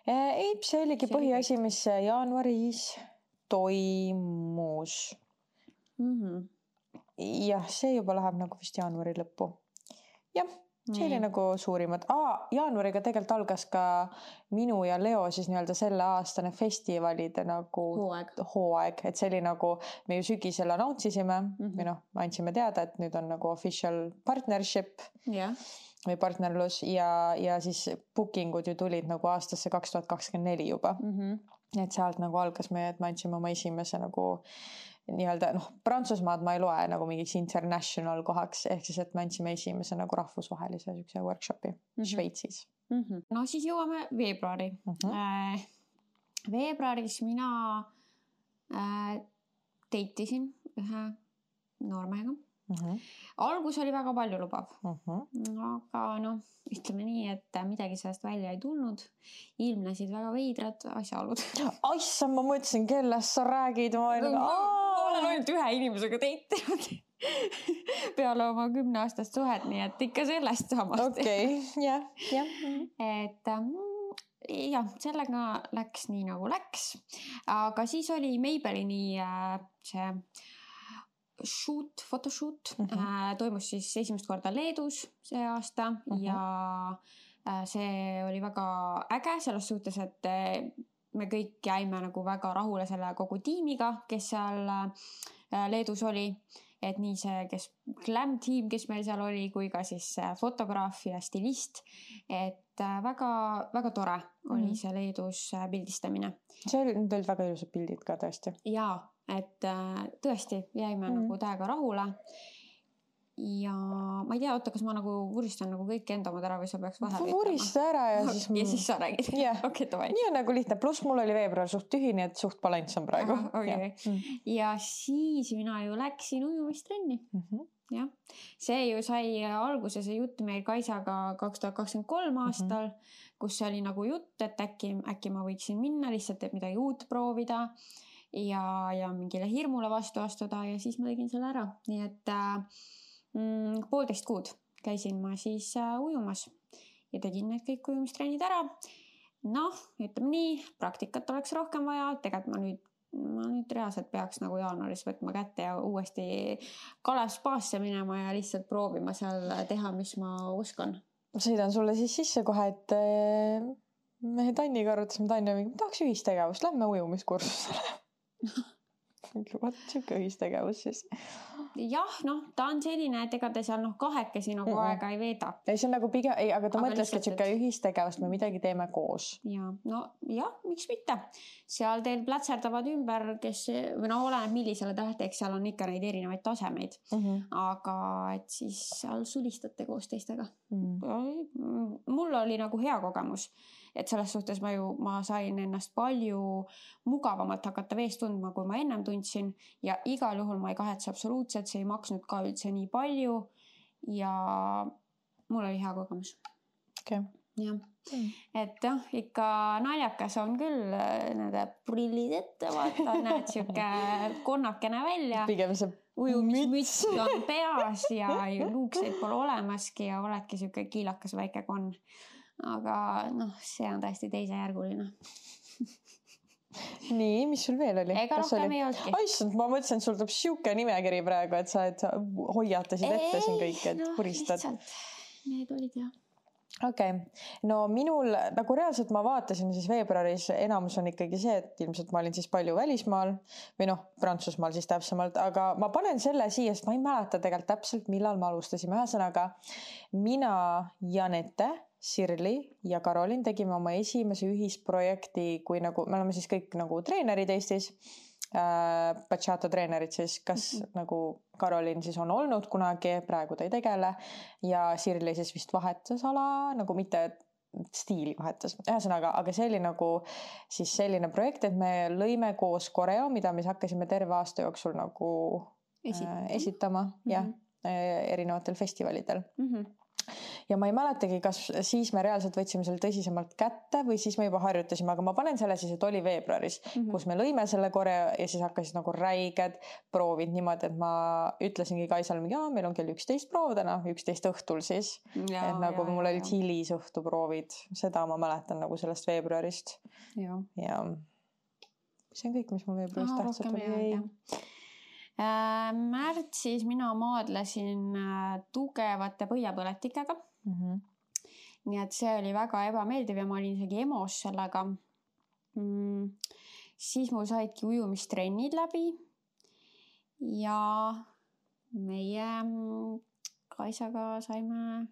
Ei, see oligi põhiasi, mis jaanuaris toimus. Jah, see juba läheb nagu vist jaanuari lõppu. Jah, see oli nagu suurimad. Jaanuariga tegelikult algas ka minu ja Leo siis nii-öelda selle aastane festivalide nagu hooaeg. Et see oli nagu, me ju sügisel announce'isime või andsime teada, et nüüd on nagu official partnership või partnerlus ja siis bookingud ju tulid nagu aastasse 2024 juba. Et sealt nagu algas me andsime oma esimese nagu nii-öelda, Prantsusmaad ma ei loe nagu mingiks international kohaks, ehk siis, et me andsime esimese nagu rahvusvahelise workshopi Šveitsis. No siis jõuame veebruari. Veebruaris mina deitisin ühe noormehega. Algus oli väga palju lubav. Aga noh, ütleme nii, et midagi sellest välja ei tulnud. Ilmnesid väga veidrad asjaolud. Issand, ma mõtlesin, kellest sa räägid. Ma olen ainult ühe inimesega deitinud peale oma 10-aastast suhet, nii et ikka sellest samast. Okei, jah. Et jah, sellega läks nii nagu läks. Aga siis oli Maybellini see photoshoot toimus siis esimest korda Leedus see aasta ja see oli väga äge selles suhtes, et me kõik jäime nagu väga rahule selle kogu tiimiga, kes seal Leedus oli, et nii see, kes glam tiim, kes meil seal oli, kui ka siis fotograaf ja stilist, et väga, väga tore oli see Leedus pildistamine. See olid väga ilusad pildid ka tõesti. Jaa, et tõesti jäime nagu täiega rahule ja ma ei tea, oota, kas ma nagu vuristan nagu kõik enda omad ära või sa peaks vahel vurista ära ja siis ja siis sa räägid. Okay, nii on nagu lihtne, pluss mul oli veebruar suht tühi, nii et suht balanss on praegu. Ja siis mina ju läksin ujumistrenni. Ja see ju sai alguse see jutt meil Kaisaga 2023 aastal, kus oli nagu jutt, et äkki ma võiksin minna lihtsalt, et midagi uut proovida ja mingile hirmule vastu astuda ja siis ma tegin selle ära. Nii et 1,5 kuud käisin ma siis ujumas ja tegin need kõik ujumistrennid ära. Noh, ütleme nii, praktikat oleks rohkem vaja, tegelikult ma nüüd reaalselt peaks nagu jaanuaris võtma kätte ja uuesti Kalev spaasse minema ja lihtsalt proovima seal teha, mis ma oskan. Sõidan sulle siis sisse kohe, et mehe Tanniga arutasime Tanni, tahaks ühistegevust, lähme ujumiskursusele. Vaat siuke ühistegevus siis. Jah, noh, ta on selline, et ega ta seal kahekesi nagu aega ei veeda. Ei, see on nagu pigem, aga ta mõtleski, et siuke ühistegevust me midagi teeme koos. Ja, no jah, miks mitte. Seal teil plätserdavad ümber, või oleneb millisele tähteks, seal on ikka neid erinevaid tasemeid. Aga et siis seal sulistate koos teistega. Mul oli nagu hea kogemus. Et selles suhtes ma sain ennast palju mugavamalt hakata veest tundma, kui ma ennem tundsin ja igal juhul ma ei kahetse absoluutselt, see ei maksnud ka üldse nii palju ja mul oli hea kogemus. Okay. Ja. Et ikka naljakas on küll nende prillid ette, vaata, näed siuke konnakene välja. Pigem see ujumismüts on peas ja luukseid pole olemaski ja oledki siuke kiilakas väike konn. Aga see on täiesti teisejärguline. Nii, mis sul veel oli? Ega rohkem ei olnudki. Aissand, ma mõtlesin, et sul tuleb siuke nimekiri praegu, et sa hoiatasid ette siin kõik, et puristad. Lihtsalt, need olid jah. Okei, no minul nagu reaalselt ma vaatasin siis veebruaris, enamus on ikkagi see, et ilmselt ma olin siis palju välismaal või Prantsusmaal siis täpsemalt, aga ma panen selle siia, sest ma ei mäleta tegelikult täpselt, millal me alustasime. Ühesõnaga, mina, Janette, Sirli ja Karolin tegime oma esimese ühisprojekti, kui nagu me oleme siis kõik nagu treenerid Eestis, bachata treenerid siis, kas nagu Karolin siis on olnud kunagi, praegu ta ei tegele ja Sirli siis vist vahetas ala, nagu mitte stiili vahetas. Ühesõnaga, aga see oli nagu siis selline projekt, et me lõime koos koreo, mida me hakkasime terve aasta jooksul nagu esitama erinevatel festivalidel. Ja ma ei mäletagi, kas siis me reaalselt võtsime selle tõsisemalt kätte või siis me juba harjutasime, aga ma panen selle siis, et oli veebruaris, kus me lõime selle koreo ja siis hakkasid nagu räiged proovid niimoodi, et ma ütlesingi Kaisal, meil on kell 11 proov täna, 11 õhtul siis. Et nagu mul olid hilisõhtu proovid, seda ma mäletan nagu sellest veebruarist. Ja see on kõik, mis mul veebruarist tähtsalt oli. Märtsis mina maadlesin tugevate põhjapõletikega. Nii et see oli väga ebameeldiv ja ma olin isegi emos sellega. Siis mul saidki ujumistrennid läbi ja meie Kaisaga saime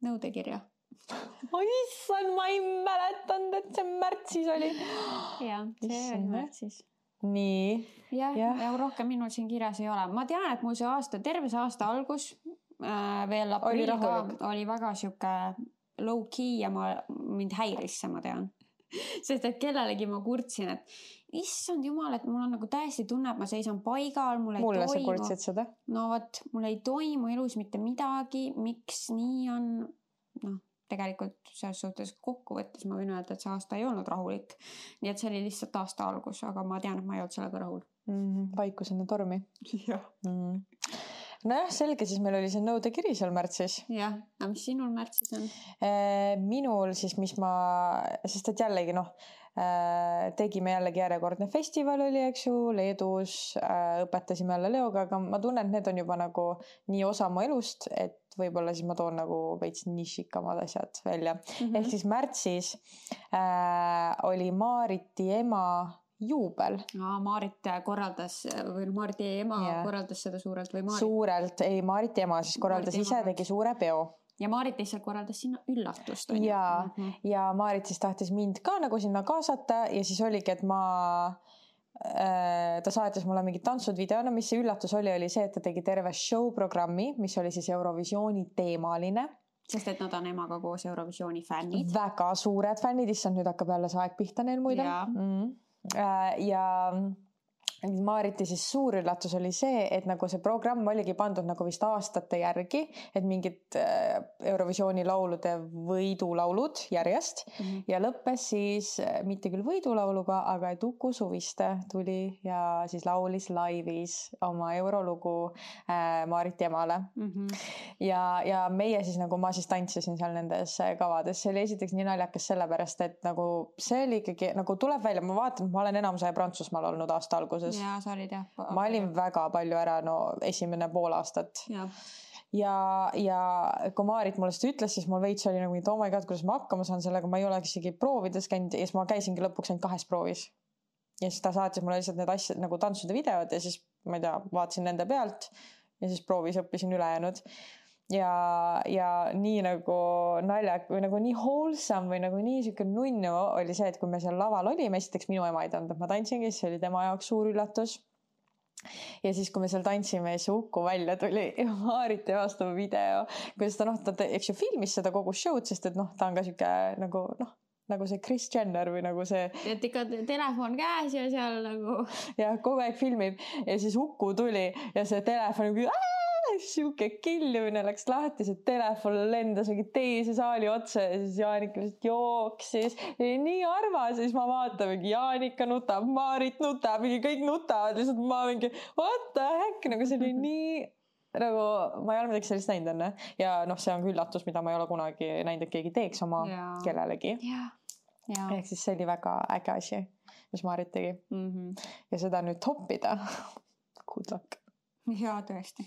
nõudekirja. Issand, ma ei mäletanud, et see märtsis oli. Jah, see oli märtsis. Nii. Ja rohkem minul siin kirjas ei ole. Ma tean, et mul see terve see aasta algus veel aprill ka oli väga siuke low key ja mind häiris see, ma tean. Sest et kellelegi ma kurtsin, et issand jumal, et mul on nagu täiesti tunne, et ma seisan paigal, mul ei mulle toimu. Sa kurtsid seda? No vot, mul ei toimu elus mitte midagi, miks nii on? Noh, tegelikult selles suhtes kokkuvõttes ma võin öelda, et see aasta ei olnud rahulik. Nii et see oli lihtsalt aasta algus, aga ma tean, et ma ei olnud sellega rahul. Vaikusena tormi. Jah. Nojah, selge, siis meil oli see nõudekiri seal märtsis. Jah, aga mis sinul märtsis on? Minul siis, sest et jällegi tegime jällegi järjekordne festival oli, eks ju, Leedus, õpetasime jälle Leoga, aga ma tunnen, et need on juba nagu nii osa mu elust, et võib-olla siis ma toon nagu veits nišikamad asjad välja. Ehk siis märtsis oli Maariti ema juubel. Maarit korraldas või Maariti ema korraldas seda suurelt või Maarit? Suurelt, ei Maariti ema siis korraldas ise, tegi suure peo. Ja Maarit lihtsalt korraldas sinna üllatust. Ja Maarit siis tahtis mind ka nagu sinna kaasata ja siis oligi, et ta saatis mulle mingid tantsud videona, mis see üllatus oli see, et ta tegi terve show programmi, mis oli siis Eurovisiooni teemaline. Sest et nad on emaga koos Eurovisiooni fännid. Väga suured fännid, issand nüüd hakkab jälle see aeg pihta neil muide. Ja Maariti siis suur üllatus oli see, et nagu see programm oligi pandud nagu vist aastate järgi, et mingid Eurovisiooni laulude võidulaulud järjest ja lõppes siis mitte küll võidulauluga, aga et Uku Suviste tuli ja siis laulis laivis oma eurolugu Maariti emale. Ja meie siis nagu ma siis tantsisin seal nendes kavades. See oli esiteks nii naljakas sellepärast, et nagu see oli ikkagi nagu tuleb välja, ma vaatan, et ma olen enamus aja Prantsusmaal olnud aasta alguses. Ja, sa olid jah. Ma olin väga palju ära esimene pool aastat. Ja kui Maarit mulle seda ütles, siis mul veits oli nagu, oh my god, kuidas ma hakkama saan sellega, ma ei ole isegi proovides käinud ja siis ma käisingi lõpuks ainult 2 proovis. Ja siis ta saatis mulle lihtsalt need asjad nagu tantsude videod ja siis ma ei tea, vaatasin nende pealt ja siis proovis õppisin ülejäänud. Ja nii nagu naljak või nagu nii wholesome või nagu nii siuke nunnu oli see, et kui me seal laval olime, esiteks minu ema ei tanud, et ma tantsingi, siis oli tema jaoks suur üllatus. Ja siis, kui me seal tantsime, siis Uku välja tuli ja Maariti vastava video, kuidas ta eks ju filmis seda kogu show'd, sest et ta on ka siuke nagu see Kris Jenner või nagu see. Et ikka telefon käes ja seal nagu. Ja kogu aeg filmib ja siis Uku tuli ja see telefon siuke killimine läks lahti, see telefon lendas mingi teise saali otsa ja siis Jaanika lihtsalt jooksis. Nii armas ja siis ma vaatan mingi Jaanika nutab, Maarit nutab, mingi kõik nutavad, lihtsalt ma mingi what the heck, nagu see oli nii nagu ma ei ole midagi sellist näinud enne ja see on üllatus, mida ma ei ole kunagi näinud, et keegi teeks oma kellelegi. Ehk siis see oli väga äge asi, mis Maarit tegi. Ja seda nüüd toppida. Good luck. Jaa, tõesti.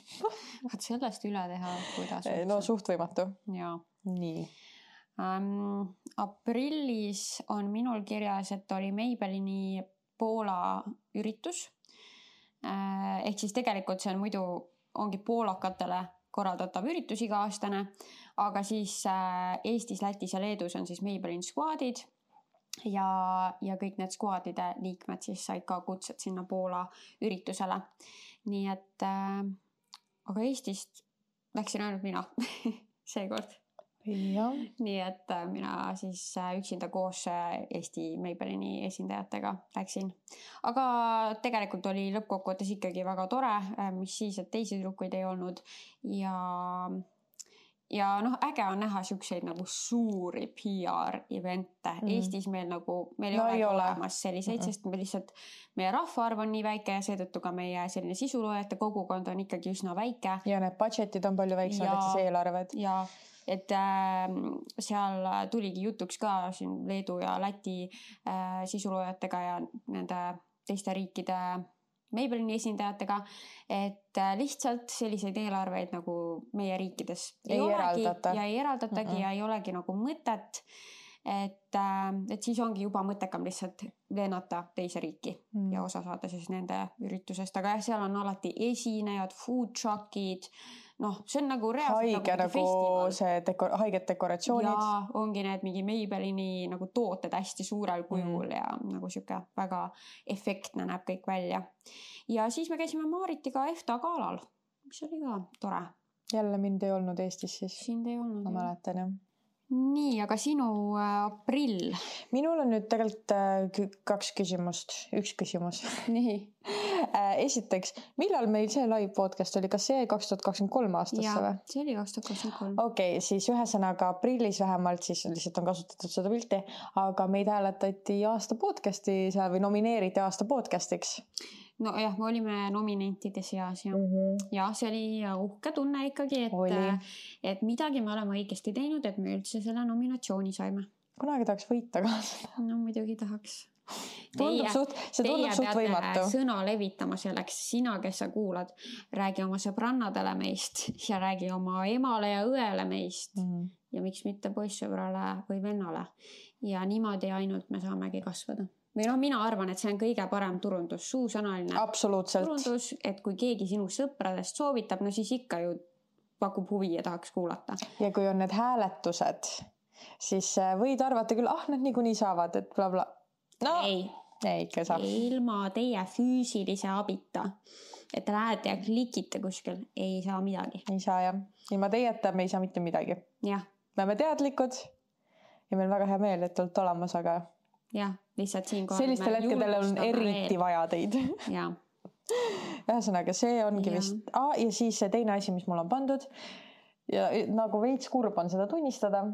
Vaat sellest üle teha, kuidas. No suht võimatu. Jaa. Nii. Aprillis on minul kirjas, et oli Maybellini Poola üritus. Ehk siis tegelikult see on muidu ongi poolakatele korraldatav üritus iga-aastane, aga siis Eestis, Lätis ja Leedus on siis Maybellini squadid ja kõik need squadide liikmed siis said ka kutsed sinna Poola üritusele. Nii et, aga Eestist läksin ainult mina seekord. Nii et mina siis üksinda koos Eesti Maybellini esindajatega läksin. Aga tegelikult oli lõppkokkuvõttes ikkagi väga tore, mis siis, et teisi tüdrukuid ei olnud ja äge on näha siukseid nagu suuri PR-evente. Eestis meil ei ole olemas selliseid, sest me lihtsalt, meie rahvaarv on nii väike ja seetõttu ka meie selline sisuloojate kogukond on ikkagi üsna väike. Ja need budgetid on palju väiksemad, et siis eelarved. Ja et seal tuligi jutuks ka siin Leedu ja Läti sisuloojatega ja nende teiste riikide Maybellini esindajatega, et lihtsalt selliseid eelarveid nagu meie riikides ei eraldatagi ja ei olegi nagu mõtet, et siis ongi juba mõttekam lihtsalt lennata teise riiki ja osa saada siis nende üritusest, aga seal on alati esinejad, food truckid, see on nagu reaalselt nagu festival. See haiged dekoratsioonid. Ja ongi need mingi Maybellini nagu tooted hästi suurel kujul ja nagu siuke väga efektne näeb kõik välja. Ja siis me käisime Maaritiga EFTA galal, mis oli ka tore. Jälle mind ei olnud Eestis siis. Sind ei olnud. Ma mäletan jah. nii, aga sinu aprill? Minul on nüüd tegelikult 2 küsimust, 1 küsimus. Nii. Esiteks, millal meil see live podcast oli? Kas see jäi 2023 aastasse või? See oli 2023. Okei, siis ühesõnaga aprillis vähemalt, siis lihtsalt on kasutatud seda pilti, aga meid hääletati aasta podcasti seal või nomineeriti aasta podcastiks. No jah, me olime nominentide seas ja, ja see oli uhke tunne ikkagi, et midagi me oleme õigesti teinud, et me üldse selle nominatsiooni saime. Kunagi tahaks võita ka seda. No muidugi tahaks. See tundub suht võimatu. Sõna levitama selleks, sina, kes sa kuulad, räägi oma sõbrannadele meist ja räägi oma emale ja õele meist ja miks mitte poissõbrale või vennale. Ja niimoodi ainult me saamegi kasvada. Või mina arvan, et see on kõige parem turundus, suusõnaline turundus, et kui keegi sinu sõpradest soovitab, no siis ikka ju pakub huvi ja tahaks kuulata. Ja kui on need hääletused, siis võid arvata küll, nad niikuinii saavad, et bla bla. No, ei ikka saa. Ilma teie füüsilise abita, et lähete ja klikite kuskil, ei saa midagi. Ei saa jah. Ilma teieta me ei saa mitte midagi. Jah. Me oleme teadlikud ja meil väga hea meel, et olete olemas, aga jah, lihtsalt siin sellistel hetkedel on eriti vaja teid. Jah. Ühesõnaga, see ongi vist. Ja siis see teine asi, mis mul on pandud ja nagu veits kurb on seda tunnistada.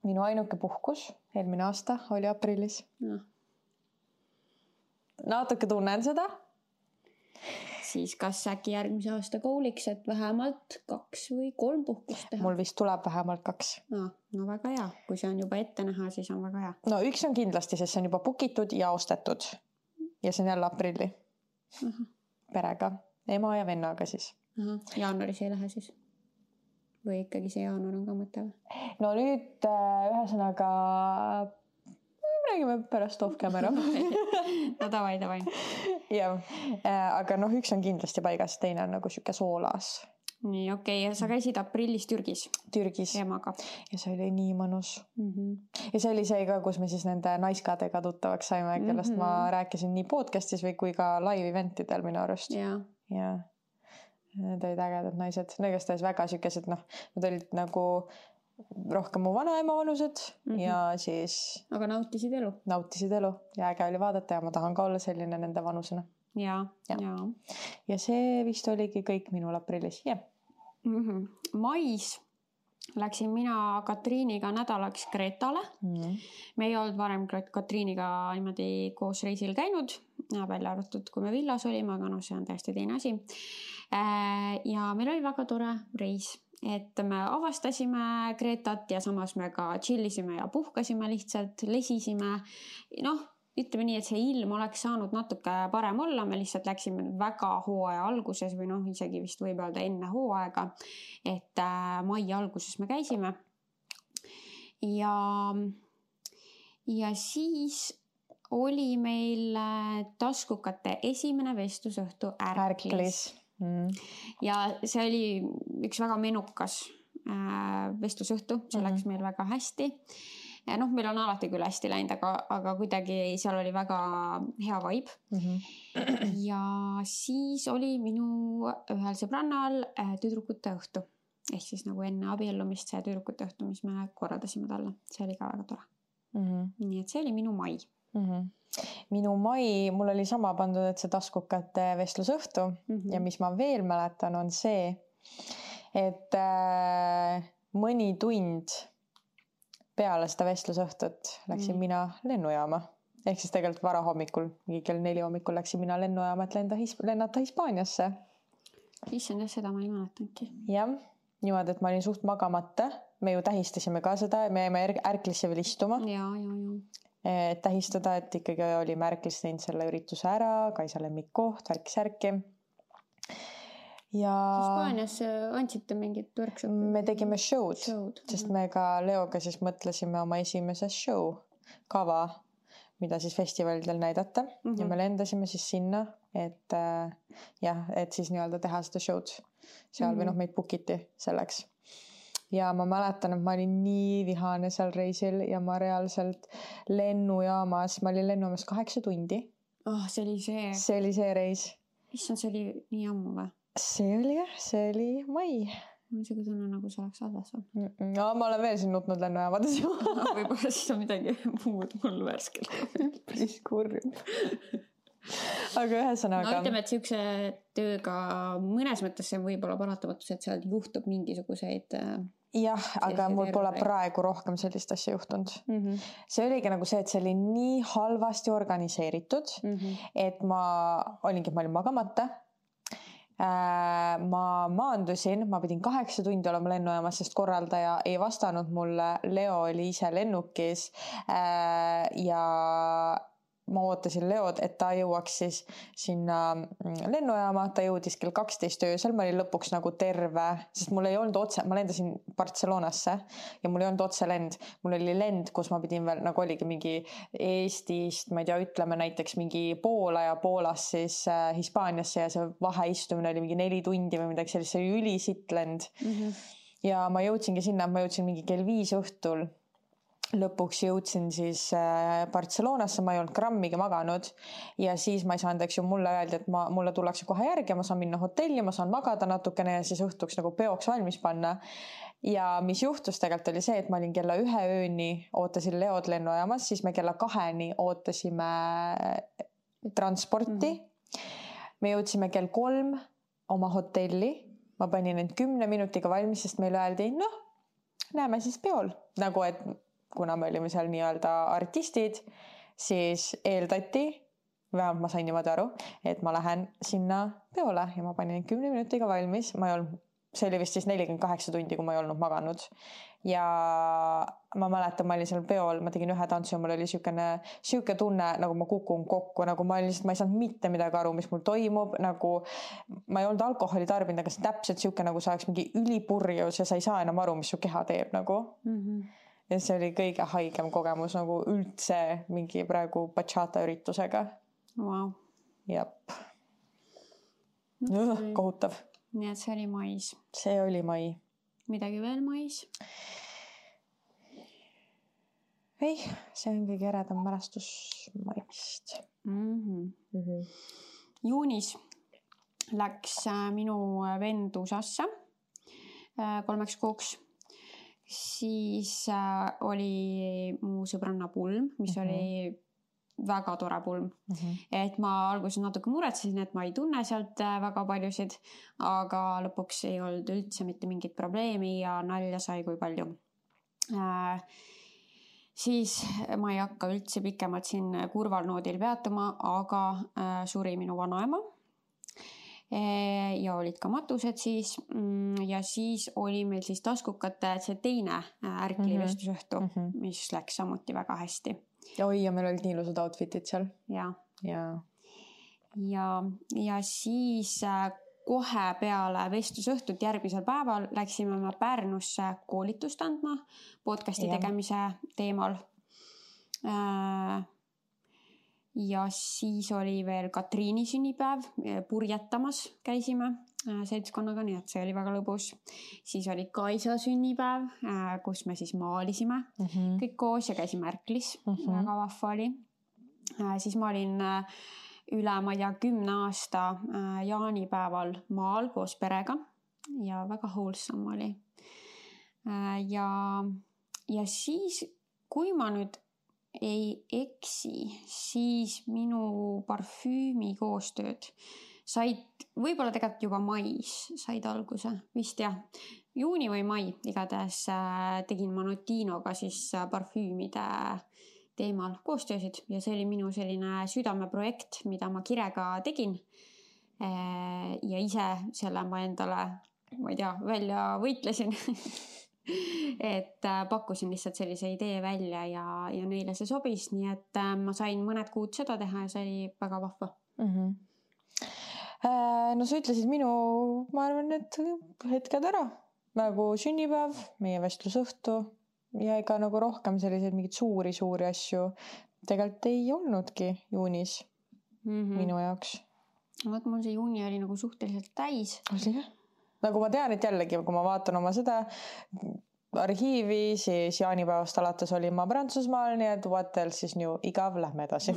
Minu ainuke puhkus eelmine aasta oli aprillis. Natuke tunnen seda. Siis kas äkki järgmise aasta kooliks, et vähemalt 2 või 3 puhkust teha? Mul vist tuleb vähemalt 2. No väga hea. Kui see on juba ette näha, siis on väga hea. No 1 on kindlasti, sest see on juba bookitud ja ostetud. Ja see on jälle aprilli. Perega. Ema ja vennaga siis. Jaanuaris ei lähe siis? Või ikkagi see jaanuar on ka mõte või? No nüüd ühesõnaga räägime pärast off camera. No davai. Ja, aga 1 on kindlasti paigas, teine on nagu siuke soolas. Nii, okei. Ja sa käisid aprillis Türgis? Türgis. Emaga. Ja see oli nii mõnus. Ja see oli see ka, kus me siis nende naiskadega tuttavaks saime, kellest ma rääkisin nii podcastis või kui ka live eventidel minu arust. Ja. Need olid ägedad naised. Negast olid väga siukesed, nad olid nagu rohkem mu vanaema vanused ja siis... Aga nautisid elu? Nautisid elu ja äge oli vaadata ja ma tahan ka olla selline nende vanusena. Ja. Ja see vist oligi kõik minul aprillis, jah. Mais läksin mina Katriiniga nädalaks Kreetale. Me ei olnud varem Katriiniga niimoodi koos reisil käinud, välja arvatud, kui me villas olime, aga see on täiesti teine asi. Ja meil oli väga tore reis. Et me avastasime Kreetat ja samas me ka chillisime ja puhkasime lihtsalt, lesisime. Ütleme nii, et see ilm oleks saanud natuke parem olla. Me lihtsalt läksime väga hooaja alguses või isegi vist võib öelda enne hooaega. Et mai alguses me käisime. Ja siis oli meil taskukate esimene vestlusõhtu Ärklis. Ja see oli üks väga menukas vestlusõhtu, see läks meil väga hästi. Meil on alati küll hästi läinud, aga kuidagi seal oli väga hea vibe. Ja siis oli minu ühel sõbrannal tüdrukute õhtu. Ehk siis nagu enne abiellumist see tüdrukute õhtu, mis me korraldasime talle. See oli ka väga tore. Nii et see oli minu mai. Minu mai, mul oli sama pandud, et see taskukate vestlusõhtu ja mis ma veel mäletan on see, et mõni tund peale seda vestlusõhtut läksin mina lennujaama. Ehk siis tegelikult vara hommikul, kell 4 hommikul läksin mina lennujaama, et lennata Hispaaniasse. Issand, seda ma ei mäletanudki. Jah, niimoodi, et ma olin suht magamata. Me ju tähistasime ka seda, me jäime Ärklisse veel istuma. Ja. Tähistada, et ikkagi olime Ärklis teinud selle ürituse ära, Kaisa lemmikkoht, värki-särki. Ja Hispaanias andsite mingit workshopi? Me tegime show'd, sest me ka Leoga siis mõtlesime oma esimeses show kava, mida siis festivalidel näidata ja me lendasime siis sinna, et siis nii-öelda teha seda show'd seal või meid bookiti selleks. Ja ma mäletan, et ma olin nii vihane seal reisil ja ma reaalselt lennujaamas 8 tundi. See oli see? See oli see reis. Issand, see oli nii ammu või? See oli mai. on siuke tunne, nagu see oleks halvas. No, ma olen veel siin nutnud lennujaamades ju. Võib-olla siis on midagi muud mul värskelt. Päris kurb. Aga ühesõnaga. No ütleme, et siukse tööga mõnes mõttes see võib olla paratamatus, et seal juhtub mingisuguseid... Jah, aga mul pole praegu rohkem sellist asja juhtunud. See oligi nagu see, et see oli nii halvasti organiseeritud, et ma olin magamata. Ma maandusin, ma pidin 8 tundi olema lennujaamas, sest korraldaja ei vastanud mulle. Leo oli ise lennukis ja ma ootasin Leod, et ta jõuaks siis sinna lennujaama, ta jõudis kell 12 öösel, ma olin lõpuks nagu terve, sest mul ei olnud otse, ma lendasin Barcelonasse ja mul ei olnud otse lend. Mul oli lend, kus ma pidin veel, nagu oligi mingi Eestist, ma ei tea, ütleme näiteks mingi Poola ja Poolast siis Hispaaniasse ja see vaheistumine oli mingi 4 tundi või midagi sellist, see oli ülisitt lend. Ja ma jõudsingi sinna, ma jõudsin mingi kell 5 õhtul. Lõpuks jõudsin siis Barcelonasse, ma ei olnud grammigi maganud ja siis ma ei saanud, eks ju, mulle öeldi, et mulle tullakse kohe järgi, ma saan minna hotelli, ma saan magada natukene ja siis õhtuks nagu peoks valmis panna. Ja mis juhtus tegelikult oli see, et ma olin kella 1 ööni, ootasin Leod lennujaamas, siis me kella 2 ootasime transporti. Me jõudsime kell 3 oma hotelli, ma panin end 10 minutiga valmis, sest meile öeldi, näeme siis peol, nagu et kuna me olime seal nii-öelda artistid, siis eeldati, vähemalt ma sain niimoodi aru, et ma lähen sinna peole ja ma panin 10 minutiga valmis. See oli vist siis 48 tundi, kui ma ei olnud maganud. Ja ma mäletan, ma olin seal peol, ma tegin 1 tantsu ja mul oli siuke tunne, nagu ma kukun kokku, nagu ma ei saanud mitte midagi aru, mis mul toimub, nagu ma ei olnud alkoholi tarbinud, aga see täpselt siuke, nagu sa oleks mingi ülipurjus ja sa ei saa enam aru, mis su keha teeb nagu. Ja see oli kõige haigem kogemus nagu üldse mingi praegu bachata üritusega. Wow. Jep. Kohutav. Nii et see oli mais. See oli mai. Midagi veel mais? Ei, see on kõige eredam mälestus maist. Juunis läks minu vend USA-sse 3 kuuks. Siis oli mu sõbranna pulm, mis oli väga tore pulm. Et ma alguses natuke muretsesin, et ma ei tunne sealt väga paljusid, aga lõpuks ei olnud üldse mitte mingit probleemi ja nalja sai kui palju. Siis ma ei hakka üldse pikemalt siin kurval noodil peatuma, aga suri minu vanaema. Ja olid ka matused siis ja siis oli meil siis taskukate see teine ärklivestusõhtu, mis läks samuti väga hästi. Oi, ja meil olid nii ilusad outfitid seal. Ja siis kohe peale vestlusõhtut järgmisel päeval läksime me Pärnusse koolitust andma podcasti tegemise teemal. Ja siis oli veel Katriini sünnipäev, purjetamas käisime seltskonnaga, nii et see oli väga lõbus. Siis oli Kaisa sünnipäev, kus me siis maalisime kõik koos ja käisime ärklis, väga vahva oli. Siis ma olin üle, ma ei tea, 10 aasta jaanipäeval maal koos perega ja väga wholesome oli. Ja siis, kui ma nüüd ei eksi, siis minu parfüümi koostööd said, võib-olla tegelikult juba mais said alguse, vist jah, juuni või mai, igatahes tegin ma Notinoga siis parfüümide teemal koostöösid ja see oli minu selline südameprojekt, mida ma kirega tegin ja ise selle ma endale, ma ei tea, välja võitlesin. Et pakkusin lihtsalt sellise idee välja ja neile see sobis, nii et ma sain mõned kuud seda teha ja see oli väga vahva. No sa ütlesid minu, ma arvan, et hetked ära, nagu sünnipäev, meie vestlusõhtu ja ega nagu rohkem selliseid mingid suuri asju tegelikult ei olnudki juunis minu jaoks. Vaat mul see juuni oli nagu suhteliselt täis. Nagu ma tean, et jällegi, kui ma vaatan oma seda arhiivi, siis jaanipäevast alates olin ma Prantsusmaal, nii et what else siis new, igav, lähme edasi.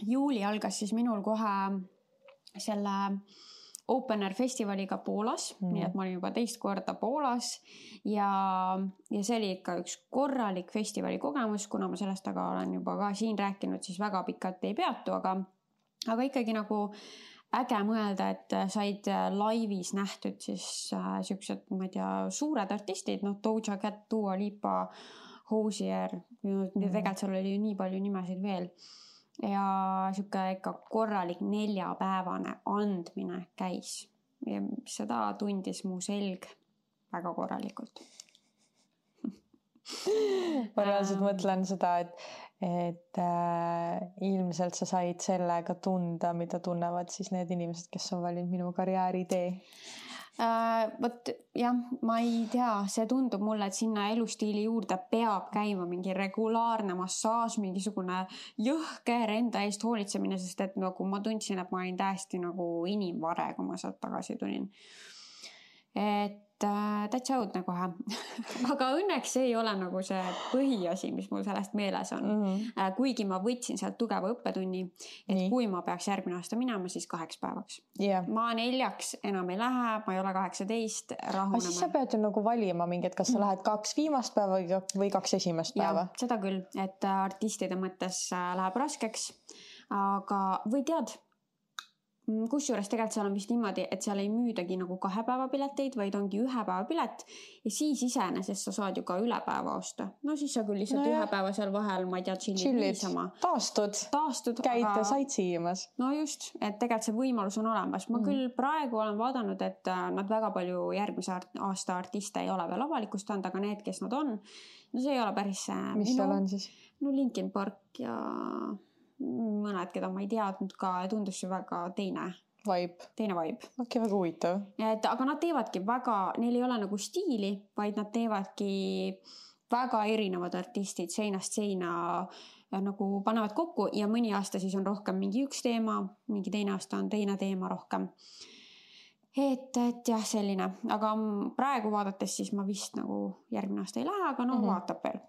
Juuli algas siis minul kohe selle Open Air festivaliga Poolas, nii et ma olin juba teist korda Poolas ja see oli ikka üks korralik festivali kogemus, kuna ma sellest aga olen juba ka siin rääkinud, siis väga pikalt ei peatu, aga ikkagi nagu äge mõelda, et said laivis nähtud siis siuksed, ma ei tea, suured artistid, Doja Cat, Dua Lipa, Hozier, tegelikult seal oli nii palju nimesid veel. Ja siuke ikka korralik 4-päevane andmine käis ja seda tundis mu selg väga korralikult. Ma reaalselt mõtlen seda, et ilmselt sa said sellega tunda, mida tunnevad siis need inimesed, kes on valinud minu karjääri tee. Võt jah, ma ei tea, see tundub mulle, et sinna elustiili juurde peab käima mingi regulaarne massaaž, mingisugune jõhker enda eest hoolitsemine, sest et nagu ma tundsin, et ma olin täiesti nagu inimvare, kui ma sealt tagasi tulin. Et täitsa õudne kohe. Aga õnneks see ei ole nagu see põhiasi, mis mul sellest meeles on. Kuigi ma võtsin sealt tugeva õppetunni, et kui ma peaks järgmine aasta minema, siis 8 päevaks. Ma 4 enam ei lähe, ma ei ole 18, rahunema. Aga siis sa pead ju nagu valima mingit, kas sa lähed 2 viimast päeva või 2 esimest päeva? Ja, seda küll, et artistide mõttes läheb raskeks. Aga või tead, kusjuures tegelikult seal on vist niimoodi, et seal ei müüdagi nagu 2 päeva pileteid, vaid ongi 1 päeva pilet ja siis iseenesest sa saad ju ka üle päeva osta. No siis sa küll lihtsalt 1 päeva seal vahel, ma ei tea, chillid niisama. Taastud, käid sightseeimas. No just, et tegelikult see võimalus on olemas. Ma küll praegu olen vaadanud, et nad väga palju järgmise aasta artiste ei ole veel avalikustanud, aga need, kes nad on, no see ei ole päris mis seal on siis? No Linkin Park ja mõned, keda ma ei teadnud ka, tundus ju väga teine vibe. Okei, väga huvitav. Aga nad teevadki väga, neil ei ole nagu stiili, vaid nad teevadki väga erinevad artistid seinast seina nagu panevad kokku ja mõni aasta siis on rohkem mingi üks teema, mingi teine aasta on teine teema rohkem. Et jah, selline. Aga praegu vaadates siis ma vist nagu järgmine aasta ei lähe, aga vaatab veel.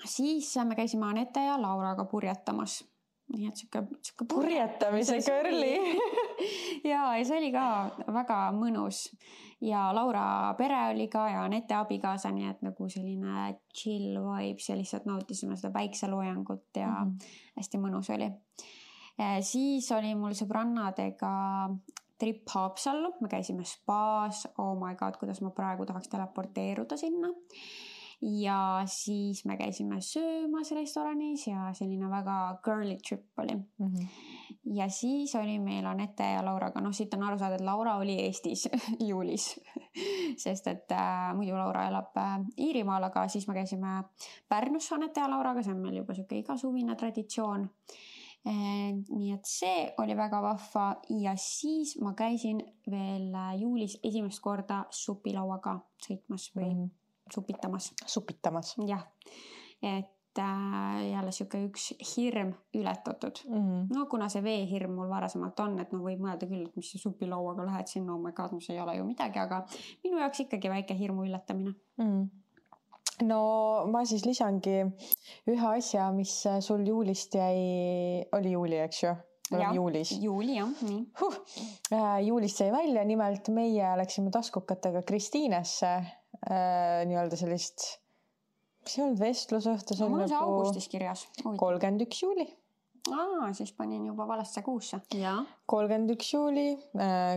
Siis me käisime Anette ja Lauraga purjetamas. Nii et siuke purjetamise kõrli. ja see oli ka väga mõnus. Ja Laura pere oli ka ja Anette abikaasa, nii et nagu selline chill vibes ja lihtsalt nautisime seda päikseloojangut ja hästi mõnus oli. Siis oli mul sõbrannadega trip Haapsallu. Me käisime spaas. Oh my god, kuidas ma praegu tahaks teleporteeruda sinna. Ja siis me käisime söömas restoranis ja selline väga girly trip oli. Ja siis oli meil Anette ja Lauraga, siit on aru saada, et Laura oli Eestis juulis, sest et muidu Laura elab Iirimaal, aga siis me käisime Pärnus Anette ja Lauraga, see on meil juba siuke igasuvine traditsioon. Nii et see oli väga vahva ja siis ma käisin veel juulis esimest korda supilauaga sõitmas või supitamas. Jah, et jälle siuke üks hirm ületatud. No kuna see veehirm mul varasemalt on, et võib mõelda küll, et mis see supilauaga lähed sinna, oh my god, see ei ole ju midagi, aga minu jaoks ikkagi väike hirmu üllatamine. No ma siis lisangi ühe asja, mis sul juulist oli juuli, eks ju? Juulis. Juuli, jah. Nii. Juulist jäi välja, nimelt meie läksime taskukatega Kristiinesse nii-öelda sellist, mis ei olnud vestlusõhtu, see oli nagu augustis kirjas. 31 juuli. Siis panin juba valesse kuusse. 31 juuli,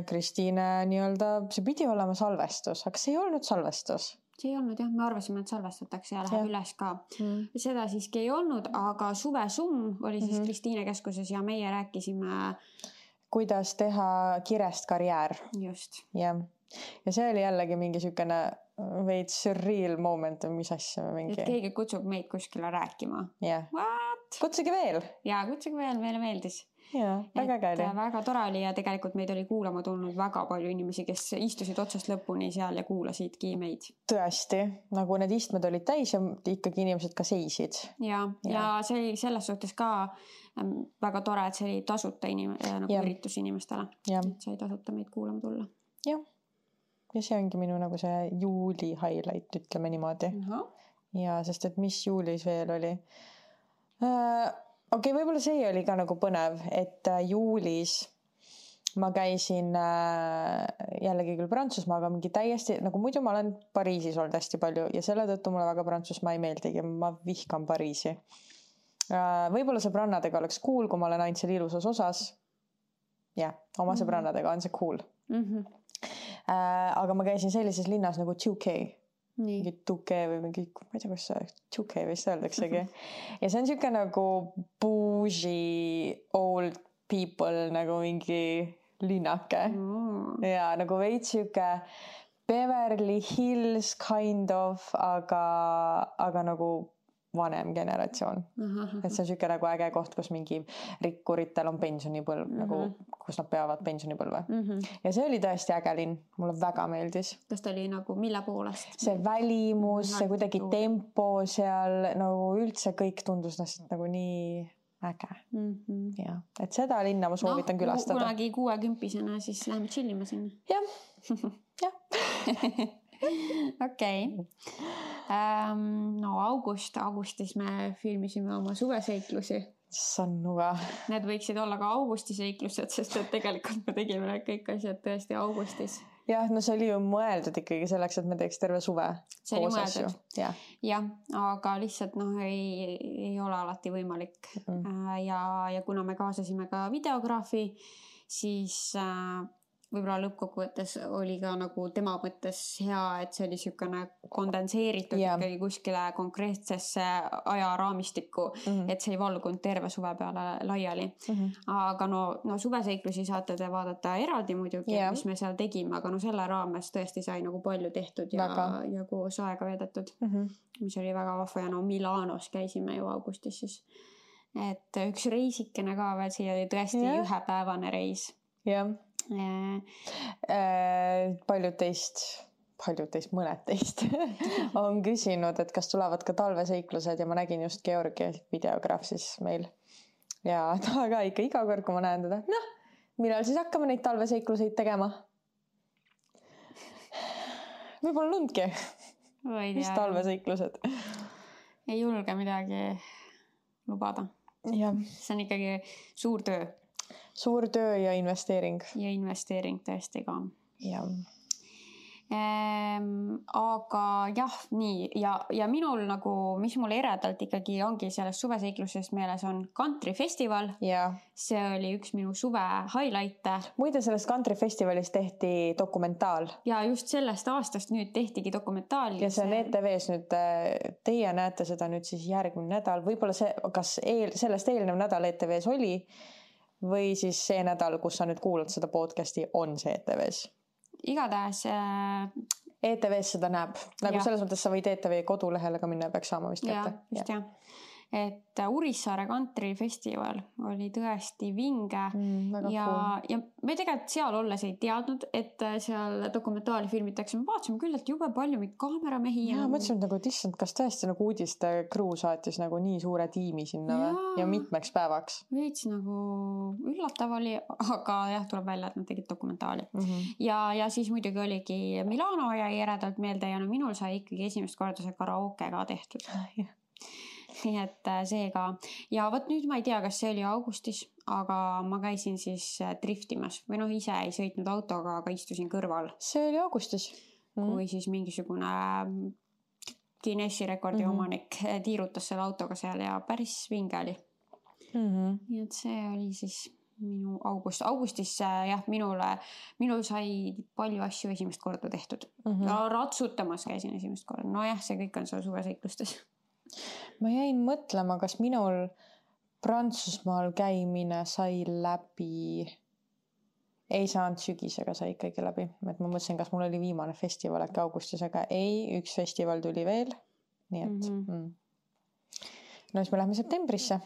Kristiine nii-öelda, see pidi olema salvestus, aga see ei olnud salvestus. See ei olnud jah, me arvasime, et salvestatakse ja läheb üles ka. Seda siiski ei olnud, aga suvesumm oli siis Kristiine keskuses ja meie rääkisime kuidas teha kirest karjäär. Just. Ja see oli jällegi mingi siukene veits surreal moment, mis asja mingi. Et keegi kutsub meid kuskile rääkima. What? Kutsuge veel. Ja kutsuge veel, meile meeldis. Ja, väga käili. Väga tore oli ja tegelikult meid oli kuulama tulnud väga palju inimesi, kes istusid otsast lõpuni seal ja kuulasidki meid. Tõesti, nagu need istmed olid täis ja ikkagi inimesed ka seisid. Ja see oli selles suhtes ka väga tore, et see oli tasuta nagu üritus inimestele. Sai tasuta meid kuulama tulla. Jah. Ja see ongi minu nagu see juuli highlight, ütleme niimoodi. Ja sest, et mis juulis veel oli? Okei, võib-olla see oli ka nagu põnev, et juulis ma käisin jällegi küll Prantsusmaaga mingi täiesti, nagu muidu ma olen Pariisis olnud hästi palju ja selle tõttu mulle väga Prantsusmaa ei meeldigi, ma vihkan Pariisi. Võib-olla sõbrannadega oleks cool, kui ma olen ainult seal ilusas osas. Jah, oma sõbrannadega on see cool. Aga ma käisin sellises linnas nagu Touquet. Mingi Touquet või mingi, ma ei tea, kus see Touquet vist öeldaksegi. Ja see on siuke nagu bougie old people nagu mingi linnake. Ja nagu veits siuke Beverly Hills kind of, aga nagu vanem generatsioon. Et see on siuke nagu äge koht, kus mingi rikkuritel on pensionipõlv, nagu kus nad peavad pensionipõlve. Ja see oli tõesti äge linn. Mulle väga meeldis. Kas ta oli nagu mille poolest? See välimus, see kuidagi tempo seal, nagu üldse kõik tundus nagu nii äge. Ja, et seda linna ma soovitan külastada. Kunagi 60-sena siis läheme chillima sinna. Jah. Okei. No augustis me filmisime oma suveseiklusi. Sannuga. Need võiksid olla ka augustiseiklused, sest et tegelikult me tegime need kõik asjad tõesti augustis. Jah, no see oli ju mõeldud ikkagi selleks, et me teeks terve suve. See oli mõeldud. Jah, aga lihtsalt ei ole alati võimalik. Ja kuna me kaasasime ka videograafi, siis võib-olla lõppkokkuvõttes oli ka nagu tema mõttes hea, et see oli siukene kondenseeritud ikkagi kuskile konkreetsesse ajaraamistikku, et see ei valgunud terve suve peale laiali. Aga no suveseiklusi saate te vaadata eraldi muidugi, mis me seal tegime, aga no selle raames tõesti sai nagu palju tehtud ja koos aega veedetud, mis oli väga vahva. Ja no Milanos käisime ju augustis siis. Et üks reisikene ka veel, siia oli tõesti ühepäevane reis. Jah. Paljud teist, mõned teist on küsinud, et kas tulevad ka talveseiklused ja ma nägin just Georgi videograaf siis meil ja ta ka ikka iga kord, kui ma näen teda, millal siis hakkame neid talveseikluseid tegema? Võib-olla lundki. Mis talveseiklused? Ei julge midagi lubada. See on ikkagi suur töö. Suur töö ja investeering. Ja investeering tõesti ka. Jah. Aga jah, nii. Ja minul nagu, mis mul eredalt ikkagi ongi selles suveseiklusest meeles on Country Festival. See oli üks minu suve highlight'e. Muide sellest Country Festivalis tehti dokumentaal. Ja just sellest aastast nüüd tehtigi dokumentaal. Ja see on ETVs nüüd, teie näete seda nüüd siis järgmine nädal. Võib-olla see, kas sellest eelnev nädal ETVs oli või siis see nädal, kus sa nüüd kuulad seda podcasti, on see ETVs? Igatahes ETVs seda näeb. Nagu selles mõttes sa võid ETV kodulehele ka minna ja peaks saama vist kätte. Just jah. Et Urissaare Country Festival oli tõesti vinge ja me tegelikult seal olles ei teadnud, et seal dokumentaali filmitakse. Me vaatasime küll, et jube palju meid kaameramehi. Ja mõtlesin nagu, et issand, kas tõesti nagu uudiste crew saatis nagu nii suure tiimi sinna ja mitmeks päevaks. Veits nagu üllatav oli, aga jah, tuleb välja, et nad tegid dokumentaali. Ja siis muidugi oligi Milano ja eredalt meelde ja minul sai ikkagi esimest korda see karaoke ka tehtud. Nii et see ka. Ja võt nüüd ma ei tea, kas see oli augustis, aga ma käisin siis driftimas või ise ei sõitnud autoga, aga istusin kõrval. See oli augustis. Kui siis mingisugune Guinessi rekordi omanik tiirutas selle autoga seal ja päris vinge oli. Nii et see oli siis minu augustis minul sai palju asju esimest korda tehtud. Ratsutamas käisin esimest korda. No jah, see kõik on seal suveseiklustes. Ma jäin mõtlema, kas minul Prantsusmaal käimine sai läbi, ei saanud sügisega, sai ikkagi läbi. Et ma mõtlesin, kas mul oli viimane festival äkki augustis, aga ei, üks festival tuli veel. Nii et no siis me lähme septembrisse.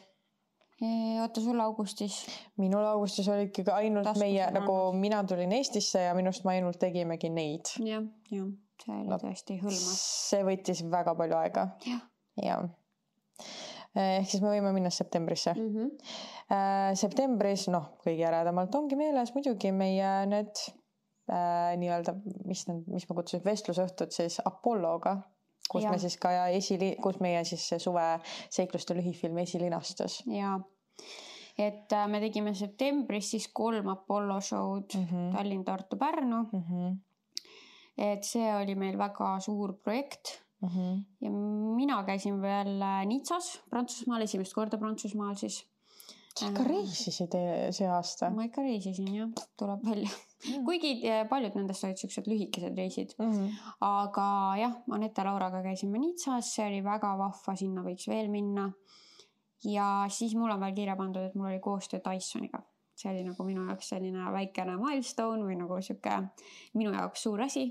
Oota, sul augustis? Minul augustis oli ikkagi ainult meie, nagu mina tulin Eestisse ja minust ma ainult tegimegi neid. Jah, see oli tõesti hõlmas. See võttis väga palju aega. Ja. Ehk siis me võime minna septembrisse. Septembris, kõige äredamalt ongi meeles muidugi meie need nii-öelda, mis ma kutsusin vestlusõhtud siis Apolloga, kus me siis ka kus meie siis see suve seikluste lühifilm esilinastus. et me tegime septembris siis 3 Apollo show'd Tallinn, Tartu, Pärnu. Et see oli meil väga suur projekt. Ja mina käisin veel Nizzas, Prantsusmaal, esimest korda Prantsusmaal siis. Sa ikka reisisid see aasta? Ma ikka reisisin, jah, tuleb välja. Kuigi paljud nendest olid sellised lühikesed reisid. Aga jah, Anette Lauraga käisime Nizzas, see oli väga vahva, sinna võiks veel minna. Ja siis mul on veel kirja pandud, et mul oli koostöö Dysoniga. See oli nagu minu jaoks selline väikene milestone või nagu siuke minu jaoks suur asi,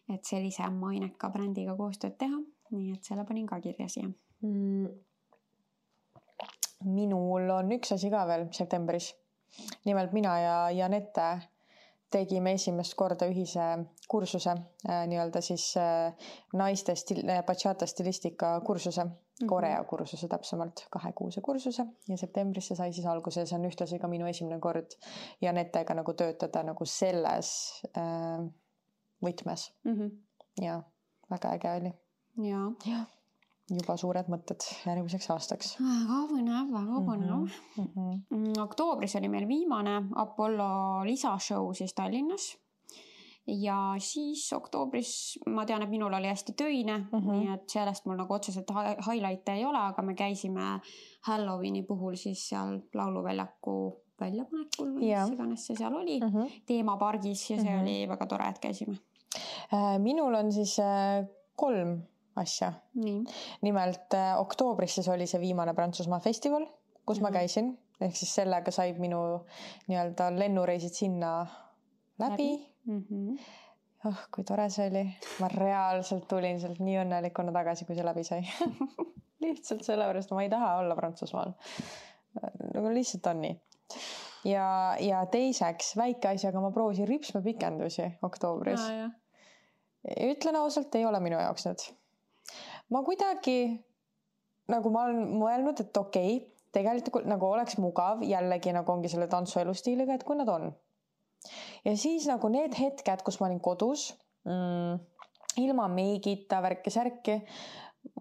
et sellise maineka brändiga koostööd teha. Nii et selle panin ka kirja siia. Minul on üks asi ka veel septembris. Nimelt mina ja Janette tegime esimest korda ühise kursuse, nii-öelda siis naiste bachata stilistika kursuse, Korea kursuse täpsemalt, 2-kuuse kursuse ja septembris see sai siis alguse. See on ühtlasi ka minu esimene kord Janettega nagu töötada nagu selles võtmes. Ja väga äge oli. Ja. Juba suured mõtted järgmiseks aastaks. Väga põnev. Oktoobris oli meil viimane Apollo lisashow siis Tallinnas. Ja siis oktoobris ma tean, et minul oli hästi töine, nii et sellest mul nagu otseselt highlight'e ei ole, aga me käisime Halloweeni puhul siis seal lauluväljaku väljapanekul või mis iganes see seal oli, teemapargis ja see oli väga tore, et käisime. Minul on siis 3 asja. Nimelt oktoobris siis oli see viimane Prantsusmaa festival, kus ma käisin, ehk siis sellega said minu nii-öelda lennureisid sinna läbi. Kui tore see oli. Ma reaalselt tulin sealt nii õnnelikuna tagasi, kui see läbi sai. Lihtsalt sellepärast ma ei taha olla Prantsusmaal. Nagu lihtsalt on nii. Ja teiseks väike asi, aga ma proovisin ripsme pikendusi oktoobris. Ütlen ausalt, ei ole minu jaoks need. Ma kuidagi, nagu ma olen mõelnud, et okei, tegelikult nagu oleks mugav, jällegi nagu ongi selle tantsuelustiiliga, et kui nad on. Ja siis nagu need hetked, kus ma olin kodus, ilma meigita, värki-särki,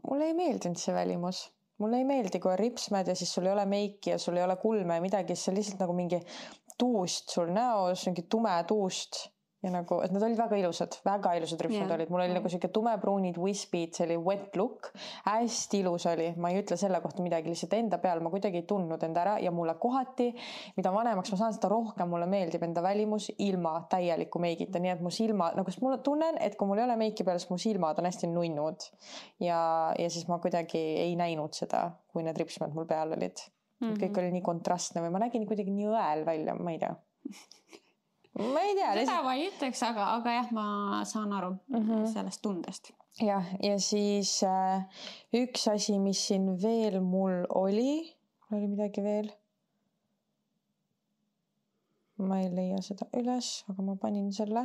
mulle ei meeldinud see välimus. Mulle ei meeldi, kui on ripsmed ja siis sul ei ole meiki ja sul ei ole kulme ja midagi, see lihtsalt nagu mingi tuust sul näos, mingi tume tuust. Ja nagu, et nad olid väga ilusad ripsmed olid. Mul oli nagu siuke tumepruunid wispid, see oli wet look. Hästi ilus oli. Ma ei ütle selle kohta midagi, lihtsalt enda peal ma kuidagi ei tundnud enda ära ja mulle kohati, mida vanemaks ma saan, seda rohkem mulle meeldib enda välimus ilma täieliku meigita. Nii et mu silma, nagu mul tunnen, et kui mul ei ole meiki peal, siis mu silmad on hästi nunnud. Ja siis ma kuidagi ei näinud seda, kui need ripsmed mul peal olid. Kõik oli nii kontrastne või ma nägin kuidagi nii õel välja, ma ei tea. Ma ei tea. Seda ma ei ütleks, aga jah, ma saan aru sellest tundest. Ja siis üks asi, mis siin veel mul oli midagi veel. Ma ei leia seda üles, aga ma panin selle.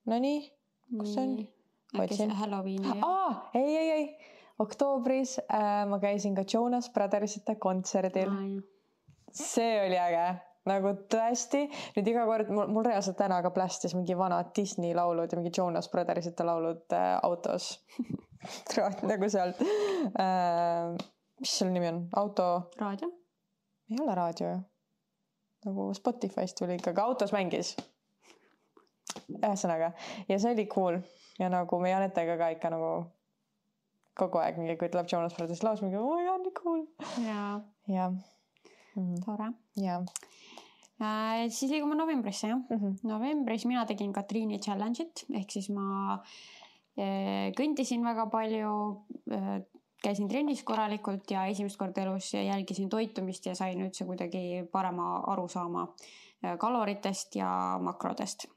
No nii, kus see on? Äkki see Halloweeni. Ei. Oktoobris ma käisin ka Jonas Brothersite kontserdil. See oli äge. Nagu tõesti, nüüd iga kord mul reaalselt täna ka plästis mingi vanad Disney laulud ja mingi Jonas Brothersite laulud autos. Nagu sealt. Mis selle nimi on? Auto? Raadio? Ei ole raadio. Nagu Spotify'st tuli ikkagi. Autos mängis. Ühesõnaga. Ja see oli cool. Ja nagu me Janetega ka ikka nagu kogu aeg mingi, kui tuleb Jonas Brothers laus, mingi, oh my god, nii cool. Ja. Tore. Ja. Siis liigume novembrisse, jah. Novembris mina tegin Katriini challenge'it, ehk siis ma kõndisin väga palju, käisin trennis korralikult ja esimest korda elus jälgisin toitumist ja sain üldse kuidagi parema arusaama kaloritest ja makrodest.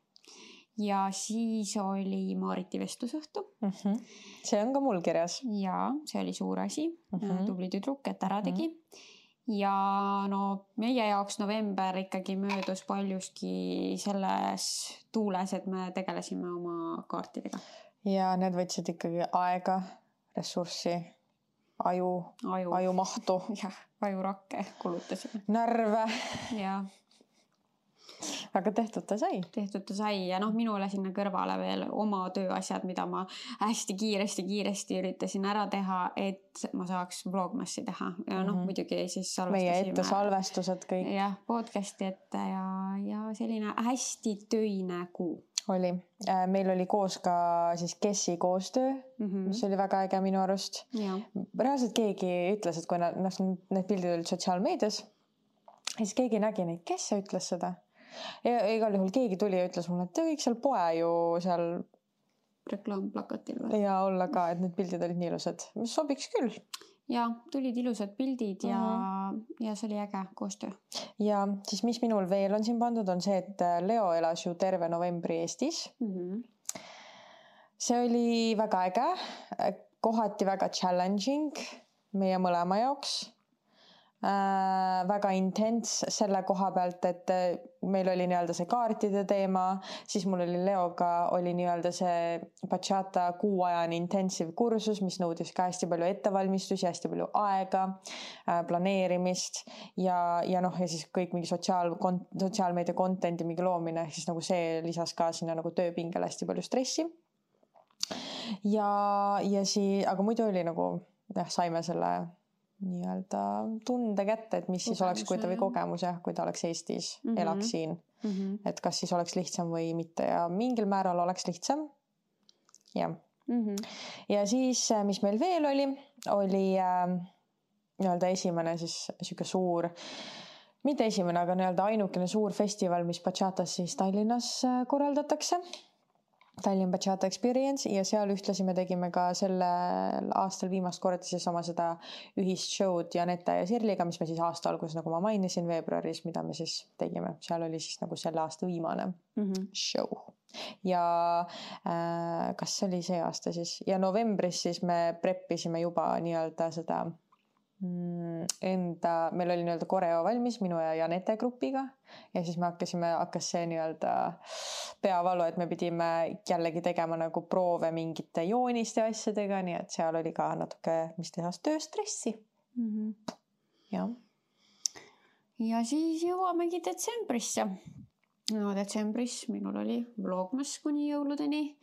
Ja siis oli Maariti vestlusõhtu. See on ka mul kirjas. Ja see oli suur asi. Tubli tüdruk, et ära tegi. Ja no meie jaoks november ikkagi möödus paljuski selles tuules, et me tegelesime oma kaartidega. Ja need võtsid ikkagi aega, ressurssi, ajumahtu. Jah, ajurakke kulutasime. Närve. Ja. aga tehtud ta sai ja noh, minule sinna kõrvale veel oma tööasjad, mida ma hästi kiiresti üritasin ära teha, et ma saaks vlogmassi teha ja noh, muidugi siis meie ette salvestused kõik. Jah, podcasti ette ja selline hästi töine kuu oli. Meil oli koos ka siis Kessi koostöö, mis oli väga äge minu arust. Reaalselt keegi ütles, et kui need pildid olid sotsiaalmeedias, siis keegi nägi neid, kes see ütles seda. Ja igal juhul keegi tuli ja ütles mulle, et te kõik seal poe ju seal reklaamplakatil või? Ja olla ka, et need pildid olid nii ilusad. Mis sobiks küll. Ja tulid ilusad pildid ja see oli äge koostöö. Ja siis mis minul veel on siin pandud, on see, et Leo elas ju terve novembri Eestis. See oli väga äge, kohati väga challenging meie mõlema jaoks. Väga intens selle koha pealt, et meil oli nii-öelda see kaartide teema, siis mul oli Leoga oli nii-öelda see bachata kuuajane intensiiv kursus, mis nõudis ka hästi palju ettevalmistusi, hästi palju aega, planeerimist ja siis kõik mingi sotsiaalmeedia content'i mingi loomine, siis nagu see lisas ka sinna nagu tööpingele hästi palju stressi. Aga muidu oli nagu, saime selle nii-öelda tunde kätte, et mis siis oleks, kui ta või kogemus, kui ta oleks Eestis, elaks siin. Et kas siis oleks lihtsam või mitte ja mingil määral oleks lihtsam. Ja. Ja siis, mis meil veel oli nii-öelda esimene siis siuke suur, mitte esimene, aga nii-öelda ainukene suur festival, mis bachatas siis Tallinnas korraldatakse. Tallinn Bachata Experience ja seal ühtlasi me tegime ka sellel aastal viimast korda siis oma seda ühist show'd Janette ja Sirliga, mis me siis aasta alguses, nagu ma mainisin, veebruaris, mida me siis tegime. Seal oli siis nagu selle aasta viimane show. Ja kas see oli see aasta siis? Ja novembris siis me preppisime juba nii-öelda seda meil oli nii-öelda koreo valmis minu ja Janette grupiga ja siis hakkas see nii-öelda peavalu, et me pidime jällegi tegema nagu proove mingite jooniste asjadega, nii et seal oli ka natuke, mis tehas tööstressi. Ja siis jõuamegi detsembrisse. No detsembris minul oli vlogmas kuni jõuludeni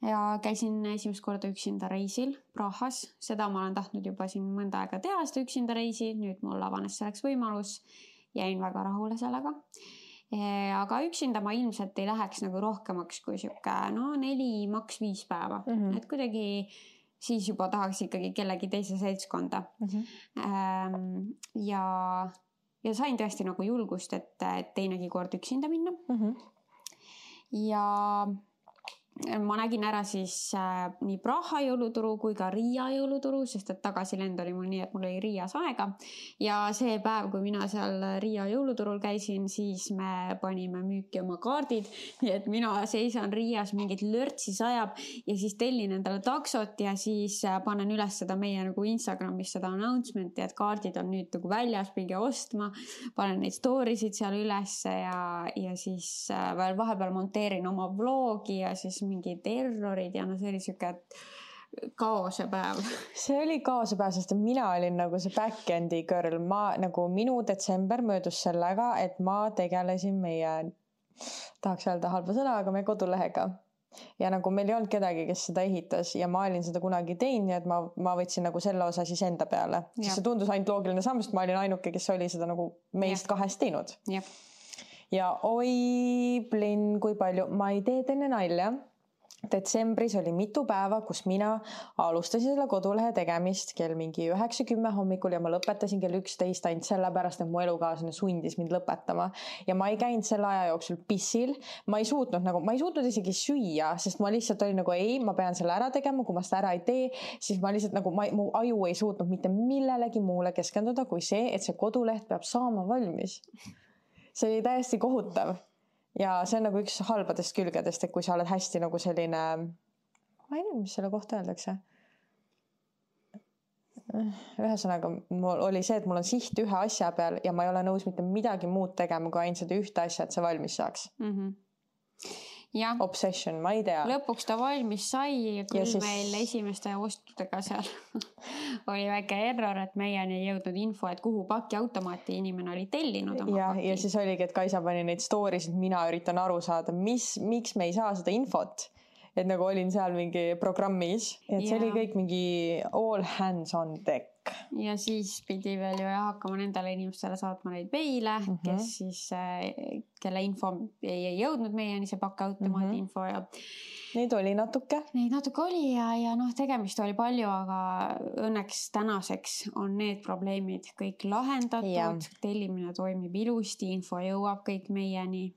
ja käisin esimest korda üksinda reisil Prahas. Seda ma olen tahtnud juba siin mõnda aega teha, seda üksinda reisi. Nüüd mul avanes selleks võimalus. Jäin väga rahule sellega. Aga üksinda ma ilmselt ei läheks nagu rohkemaks kui siuke 4, maks 5 päeva. Et kuidagi siis juba tahaks ikkagi kellegi teise seltskonda. Ja sain tõesti nagu julgust, et teinegi kord üksinda minna. Ja ma nägin ära siis nii Praha jõuluturu kui ka Riia jõuluturu, sest et tagasilend oli mul nii, et mul oli Riias aega. Ja see päev, kui mina seal Riia jõuluturul käisin, siis me panime müüki oma kaardid. Nii et mina seisan Riias, mingit lörtsi sajab ja siis tellin endale taksot ja siis panen üles seda meie nagu Instagramis seda announcement'i, et kaardid on nüüd nagu väljas, minge ostma. Panen neid storysid seal üles ja siis veel vahepeal monteerin oma vlogi ja siis mingid errorid ja see oli siuke kaose päev. See oli kaose päev, sest mina olin nagu see back-endi girl. Minu detsember möödus sellega, et ma tegelesin meie, tahaks öelda halba sõna, aga meie kodulehega. Ja nagu meil ei olnud kedagi, kes seda ehitas ja ma olin seda kunagi teinud, et ma võtsin nagu selle osa siis enda peale. Siis see tundus ainult loogiline samm, sest ma olin ainuke, kes oli seda nagu meist kahest teinud. Ja oi plinn, kui palju. Ma ei tee teine nalja. Detsembris oli mitu päeva, kus mina alustasin selle kodulehe tegemist kell mingi 9-10 hommikul ja ma lõpetasin kell 11 ainult sellepärast, et mu elukaaslane sundis mind lõpetama. Ja ma ei käinud selle aja jooksul pissil. Ma ei suutnud isegi süüa, sest ma lihtsalt olin nagu ei, ma pean selle ära tegema, kui ma seda ära ei tee, siis ma lihtsalt nagu mu aju ei suutnud mitte millelegi muule keskenduda kui see, et see koduleht peab saama valmis. See oli täiesti kohutav. Ja see on nagu üks halbadest külgedest, et kui sa oled hästi nagu selline, ma ei tea, mis selle kohta öeldakse. Ühesõnaga, mul oli see, et mul on siht ühe asja peal ja ma ei ole nõus mitte midagi muud tegema, kui ainult seda ühte asja, et see valmis saaks. obsession, ma ei tea. Lõpuks ta valmis sai, küll siis... meil esimeste ostudega seal oli väike error, et meieni ei jõudnud info, et kuhu pakiautomaati inimene oli tellinud oma paki. Ja siis oligi, et Kaisa pani neid stories, et mina üritan aru saada, miks me ei saa seda infot. Et nagu olin seal mingi programmis, et see oli kõik mingi all hands on deck. Ja siis pidi veel ju hakkama nendele inimestele saatma neid meile, kes siis, kelle info ei jõudnud meieni, see pakiautomaadi info ja neid oli natuke. Neid natuke oli ja noh, tegemist oli palju, aga õnneks tänaseks on need probleemid kõik lahendatud, tellimine toimib ilusti, info jõuab kõik meieni.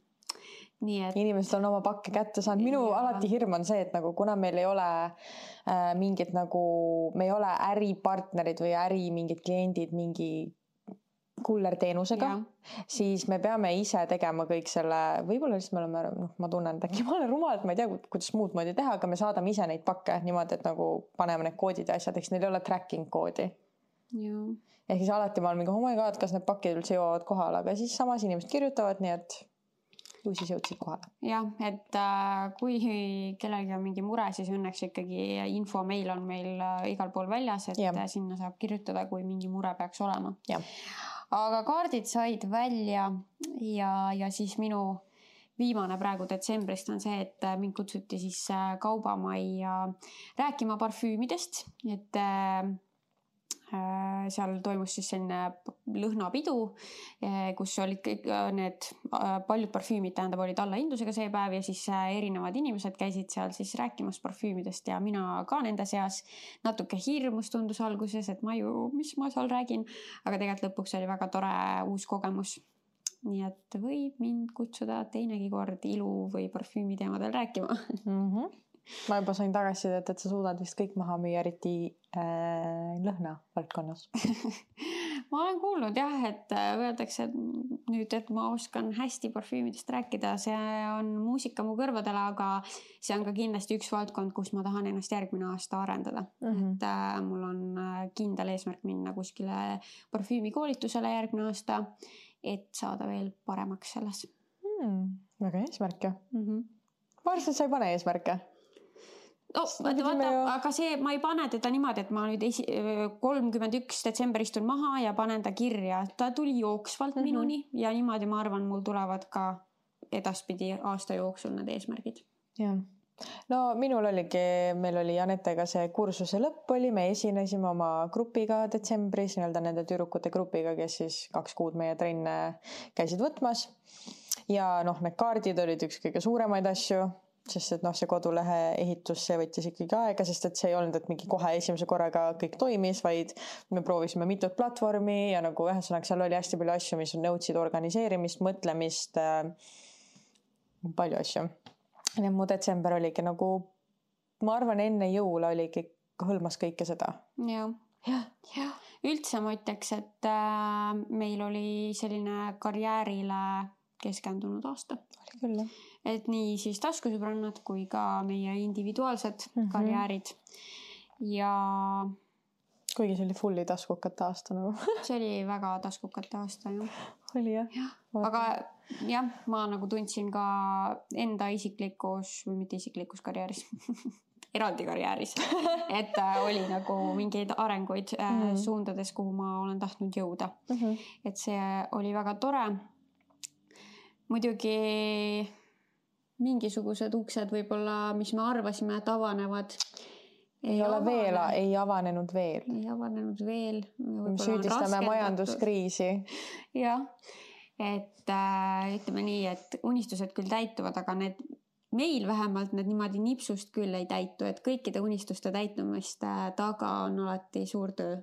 Nii et... Inimesed on oma pakke kätte saanud. Minu alati hirm on see, et nagu kuna meil ei ole mingid nagu, me ei ole äripartnerid või mingid kliendid mingi kullerteenusega, siis me peame ise tegema kõik selle, võib-olla siis me oleme, ma tunnen, et äkki ma olen rumal, et ma ei tea, kuidas muud moodi teha, aga me saadame ise neid pakke niimoodi, et nagu paneme need koodid ja asjad, eks neil ei ole tracking koodi. Ja siis alati ma olen mingi, oh my god, kas need pakid üldse jõuavad kohale, aga siis samas inimesed kirjutavad, nii et ju siis jõudsid kohale. Jah, et kui kellelgi on mingi mure, siis õnneks ikkagi info meil on meil igal pool väljas, et sinna saab kirjutada, kui mingi mure peaks olema. Aga kaardid said välja ja siis minu viimane praegu detsembrist on see, et mind kutsuti siis kaubamajja rääkima parfüümidest, et seal toimus siis selline lõhnapidu, kus olid kõik need paljud parfüümid, tähendab, olid allahindlusega see päev ja siis erinevad inimesed käisid seal siis rääkimas parfüümidest ja mina ka nende seas. Natuke hirmus tundus alguses, et mis ma seal räägin, aga tegelikult lõpuks oli väga tore uus kogemus. Nii et võib mind kutsuda teinegi kord ilu või parfüümi teemadel rääkima. Ma juba sain tagasisidet, et sa suudad vist kõik maha müüa, eriti lõhna valdkonnas. Ma olen kuulnud jah, et öeldakse nüüd, et ma oskan hästi parfüümidest rääkida, see on muusika mu kõrvadele, aga see on ka kindlasti üks valdkond, kus ma tahan ennast järgmine aasta arendada. Et mul on kindel eesmärk minna kuskile parfüümikoolitusele järgmine aasta, et saada veel paremaks selles. Väga eesmärk ju. Ma arvan, et sa ei pane eesmärke. Aga see, ma ei pane teda niimoodi, et ma nüüd 31. detsember istun maha ja panen ta kirja. Ta tuli jooksvalt minuni ja niimoodi ma arvan, mul tulevad ka edaspidi aasta jooksul need eesmärgid. Jah. No minul oligi, meil oli Janetega see kursuse lõpp oli, me esinesime oma grupiga detsembris, nende tüdrukute grupiga, kes siis 2 kuud meie trenne käisid võtmas. Ja need kaardid olid üks kõige suuremaid asju, sest et see kodulehe ehitus, see võttis ikkagi aega, sest et see ei olnud, et mingi kohe esimese korraga kõik toimis, vaid me proovisime mitut platvormi ja nagu ühesõnaga seal oli hästi palju asju, mis nõudsid organiseerimist, mõtlemist, palju asju. Ja mu detsember oligi nagu, ma arvan, enne jõula oligi, hõlmas kõike seda. Ja. Üldse ma ütleks, et meil oli selline karjäärile keskendunud aasta. Oli küll, jah. Et nii siis taskusõbrannad kui ka meie individuaalsed karjäärid. Ja kuigi see oli fulli taskukate aasta nagu. See oli väga taskukate aasta, jah. Oli jah. Aga jah, ma nagu tundsin ka enda isiklikus, või mitte isiklikus karjääris, eraldi karjääris, et oli nagu mingeid arenguid suundades, kuhu ma olen tahtnud jõuda. Et see oli väga tore. Muidugi mingisugused uksed võib-olla, mis me arvasime, et avanevad. Ei avanenud veel. Ei avanenud veel. Me süüdistame majanduskriisi. Jah, et ütleme nii, et unistused küll täituvad, aga meil vähemalt need niimoodi nipsust küll ei täitu, et kõikide unistuste täitumist taga on alati suur töö.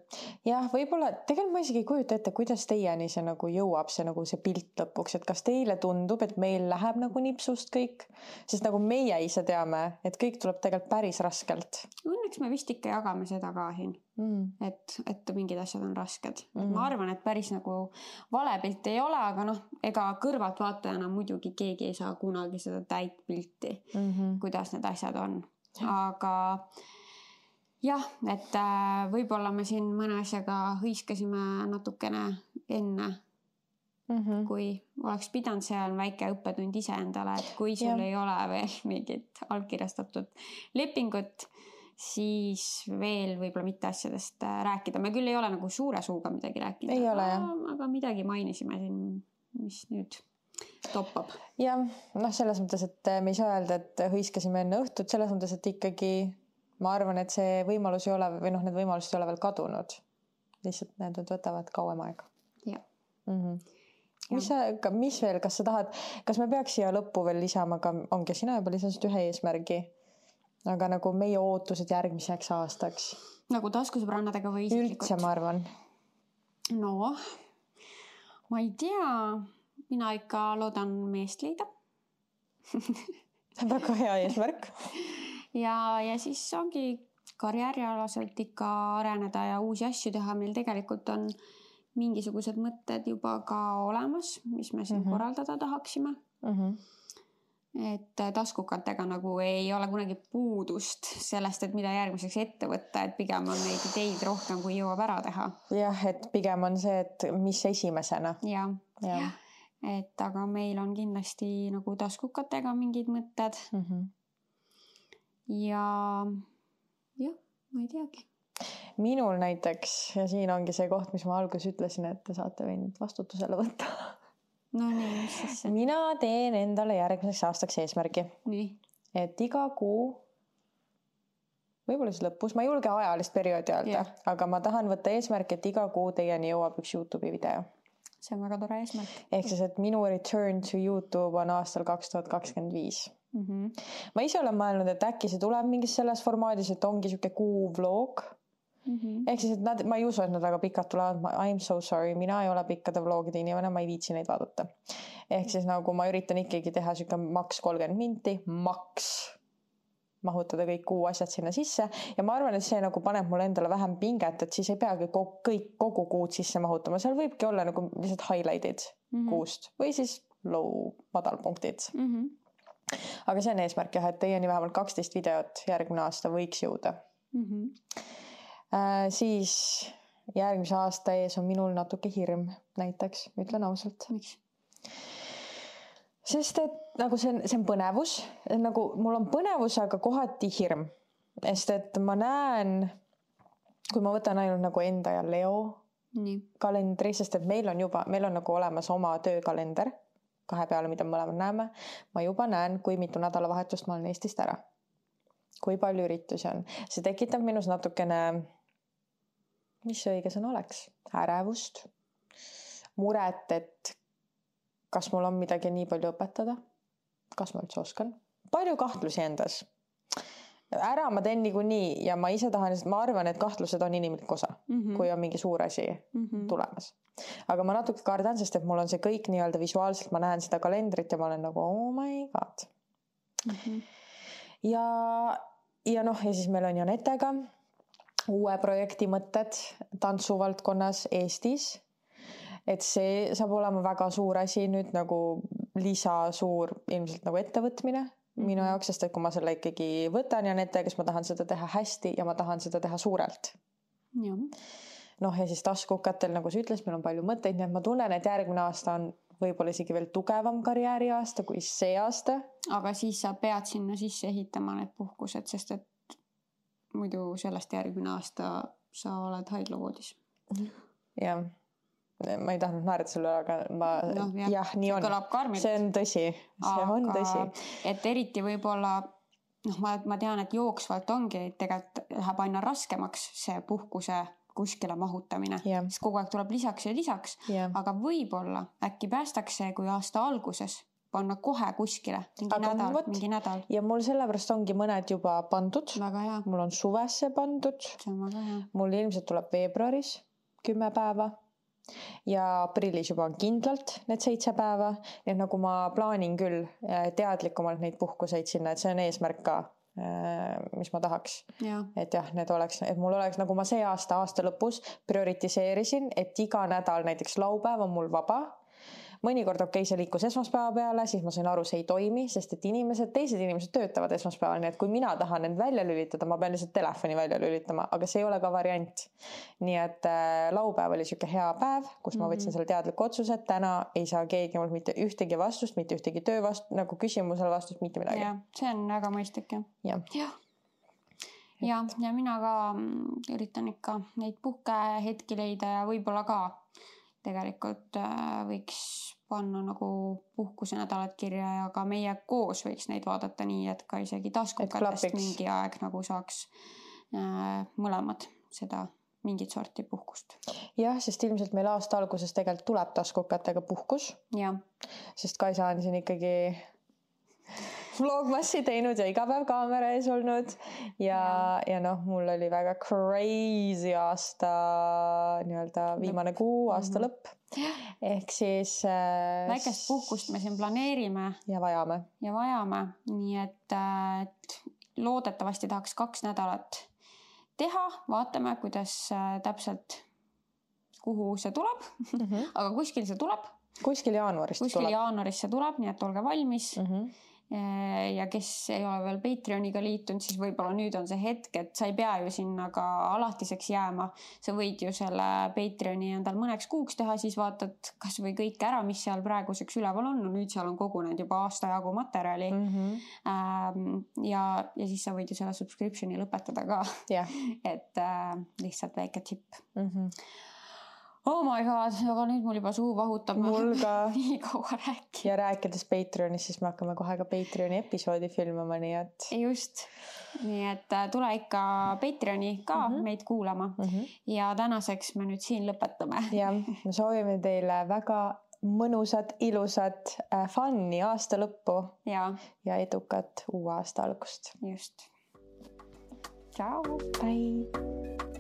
Jah, võib-olla, tegelikult ma isegi ei kujuta ette, kuidas teieni see nagu jõuab, see pilt lõpuks, et kas teile tundub, et meil läheb nagu nipsust kõik, sest nagu meie ise teame, et kõik tuleb tegelikult päris raskelt. Õnneks me vist ikka jagame seda ka siin, et mingid asjad on rasked. Ma arvan, et päris nagu valepilt ei ole, aga ega kõrvalt vaatajana muidugi keegi ei saa kunagi seda täit pilti, kuidas need asjad on. Aga jah, et võib-olla me siin mõne asjaga hõiskasime natukene enne kui oleks pidanud, see on väike õppetund iseendale, et kui sul ei ole veel mingit allkirjastatud lepingut, siis veel võib-olla mitte asjadest rääkida. Me küll ei ole nagu suure suuga midagi rääkinud, aga midagi mainisime siin, mis nüüd toppab. Jah, selles mõttes, et me ei saa öelda, et hõiskasime enne õhtut, selles mõttes, et ikkagi ma arvan, et see võimalus ei ole, või need võimalused ei ole veel kadunud. Lihtsalt need võtavad kauem aega. Jah. Mis veel, kas sa tahad, kas me peaks siia lõppu veel lisama, aga ongi sina juba lisasid ühe eesmärgi, aga nagu meie ootused järgmiseks aastaks. Nagu taskusõbrannadega või isiklikult? Üldse, ma arvan. No, ma ei tea, mina ikka loodan meest leida. Väga hea eesmärk. Ja siis ongi karjäärialaselt ikka areneda ja uusi asju teha. Meil tegelikult on mingisugused mõtted juba ka olemas, mis me siin korraldada tahaksime. Et taskukatega nagu ei ole kunagi puudust sellest, et mida järgmiseks ette võtta, et pigem on neid ideid rohkem, kui jõuab ära teha. Jah, et pigem on see, et mis esimesena. Ja. Et aga meil on kindlasti nagu taskukatega mingid mõtted. Ja ma ei teagi. Minul näiteks, ja siin ongi see koht, mis ma alguses ütlesin, et te saate võinud vastutusele võtta. No nii, mis siis? Mina teen endale järgmiseks aastaks eesmärgi. Nii. Et iga kuu, võib-olla siis lõpus, ma ei julge ajalist perioodi öelda, aga ma tahan võtta eesmärk, et iga kuu teieni jõuab üks YouTube'i video. See on väga tore eesmärk. Ehk siis, et minu return to YouTube on aastal 2025. Ma ise olen mõelnud, et äkki see tuleb mingis selles formaadis, et ongi siuke kuu vlog. Ehk siis, et ma ei usu, et nad väga pikad tulevad. I'm so sorry, mina ei ole pikkade vlogide inimene, ma ei viitsi neid vaadata. Ehk siis nagu ma üritan ikkagi teha siuke maks 30 minti, maks mahutada kõik kuu asjad sinna sisse ja ma arvan, et see nagu paneb mulle endale vähem pinget, et siis ei peagi kogu kuud sisse mahutama. Seal võibki olla nagu lihtsalt highlight'id kuust või siis madalpunktid. Aga see on eesmärk jah, et teieni vähemalt 12 videot järgmine aasta võiks jõuda. Siis järgmise aasta ees on minul natuke hirm näiteks, ütlen ausalt. Miks? Sest et nagu see on põnevus, nagu mul on põnevus, aga kohati hirm. Sest et ma näen, kui ma võtan ainult nagu enda ja Leo kalendri, sest et meil on nagu olemas oma töökalender 2 peale, mida me mõlemad näeme. Ma juba näen, kui mitu nädalavahetust ma olen Eestist ära. Kui palju üritusi on. See tekitab minus natukene, mis see õige sõna oleks? Ärevust, muret, et kas mul on midagi nii palju õpetada? Kas ma üldse oskan? Palju kahtlusi endas. Ära ma teen niikuinii ja ma ise tahan, ma arvan, et kahtlused on inimlik osa, kui on mingi suur asi tulemas. Aga ma natuke kardan, sest et mul on see kõik nii-öelda visuaalselt, ma näen seda kalendrit ja ma olen nagu, oh my god. Ja siis meil on Janetega uue projekti mõtted tantsuvaldkonnas Eestis. Et see saab olema väga suur asi nüüd nagu lisasuur ilmselt nagu ettevõtmine minu jaoks, sest et kui ma selle ikkagi võtan Janetega, siis ma tahan seda teha hästi ja ma tahan seda teha suurelt. Ja siis taskukatel, nagu sa ütles, meil on palju mõtteid, nii et ma tunnen, et järgmine aasta on võib-olla isegi veel tugevam karjääri aasta kui see aasta. Aga siis sa pead sinna sisse ehitama need puhkused, sest et muidu sellest järgmine aasta sa oled haiglavoodis. Jah. Ma ei tahtnud naerata sulle, aga nii on. See on tõsi. See on tõsi. Et eriti võib-olla, ma tean, et jooksvalt ongi, tegelikult läheb aina raskemaks see puhkuse kuskile mahutamine. Sest kogu aeg tuleb lisaks ja lisaks. Aga võib-olla äkki päästaks see, kui aasta alguses panna kohe kuskile mingi nädal. Ja mul sellepärast ongi mõned juba pandud. Väga hea. Mul on suvesse pandud. See on väga hea. Mul ilmselt tuleb veebruaris 10 päeva. Ja aprillis juba on kindlalt need 7 päeva. Nii et nagu ma plaanin küll teadlikumalt neid puhkuseid sinna, et see on eesmärk ka, mis ma tahaks. Et need oleks, et mul oleks, nagu ma see aasta lõpus prioritiseerisin, et iga nädal näiteks laupäev on mul vaba. mõnikord see liikus esmaspäeva peale, siis ma sain aru, see ei toimi, sest et teised inimesed töötavad esmaspäeval, nii et kui mina tahan end välja lülitada, ma pean lihtsalt telefoni välja lülitama, aga see ei ole ka variant. Nii et laupäev oli siuke hea päev, kus ma võtsin selle teadliku otsuse, et täna ei saa keegi mul mitte ühtegi vastust, mitte ühtegi töö nagu küsimusele vastust, mitte midagi. Ja, see on väga mõistlik, jah. Ja mina ka üritan ikka neid puhkehetki leida ja võib-olla ka tegelikult võiks panna nagu puhkusenädalad kirja ja ka meie koos võiks neid vaadata nii, et ka isegi taskukatest mingi aeg nagu saaks mõlemad seda mingit sorti puhkust. Jah, sest ilmselt meil aasta alguses tegelikult tuleb taskukatega puhkus. Ja. Sest Kaisa on siin ikkagi vlogmassi teinud ja iga päev kaamera ees olnud ja noh, mul oli väga crazy aasta nii-öelda viimane kuu, aasta lõpp. Ehk siis väikest puhkust me siin planeerime ja vajame. Nii et loodetavasti tahaks 2 nädalat teha, vaatame, kuidas täpselt kuhu see tuleb. Aga kuskil see tuleb. Kuskil jaanuaris see tuleb, nii et olge valmis. Ja kes ei ole veel Patreoniga liitunud, siis võib-olla nüüd on see hetk, et sa ei pea ju sinna ka alatiseks jääma. Sa võid ju selle Patreoni endal mõneks kuuks teha, siis vaatad kas või kõik ära, mis seal praeguseks üleval on. No nüüd seal on kogunenud juba aasta jagu materjali. Ja siis sa võid ju selle subscriptioni lõpetada ka. Et lihtsalt väike tipp. Oh my god, aga nüüd mul juba suu vahutab. Mul ka. Nii kaua rääkida. Ja rääkides Patreonis, siis me hakkame kohe ka Patreoni episoodi filmama, nii et... Just. Nii et tule ikka Patreoni ka meid kuulama. Ja tänaseks me nüüd siin lõpetame. Ja, me soovime teile väga mõnusat, ilusat fun'i aasta lõppu. Ja edukat uue aasta algust. Just. Ciao. Bye.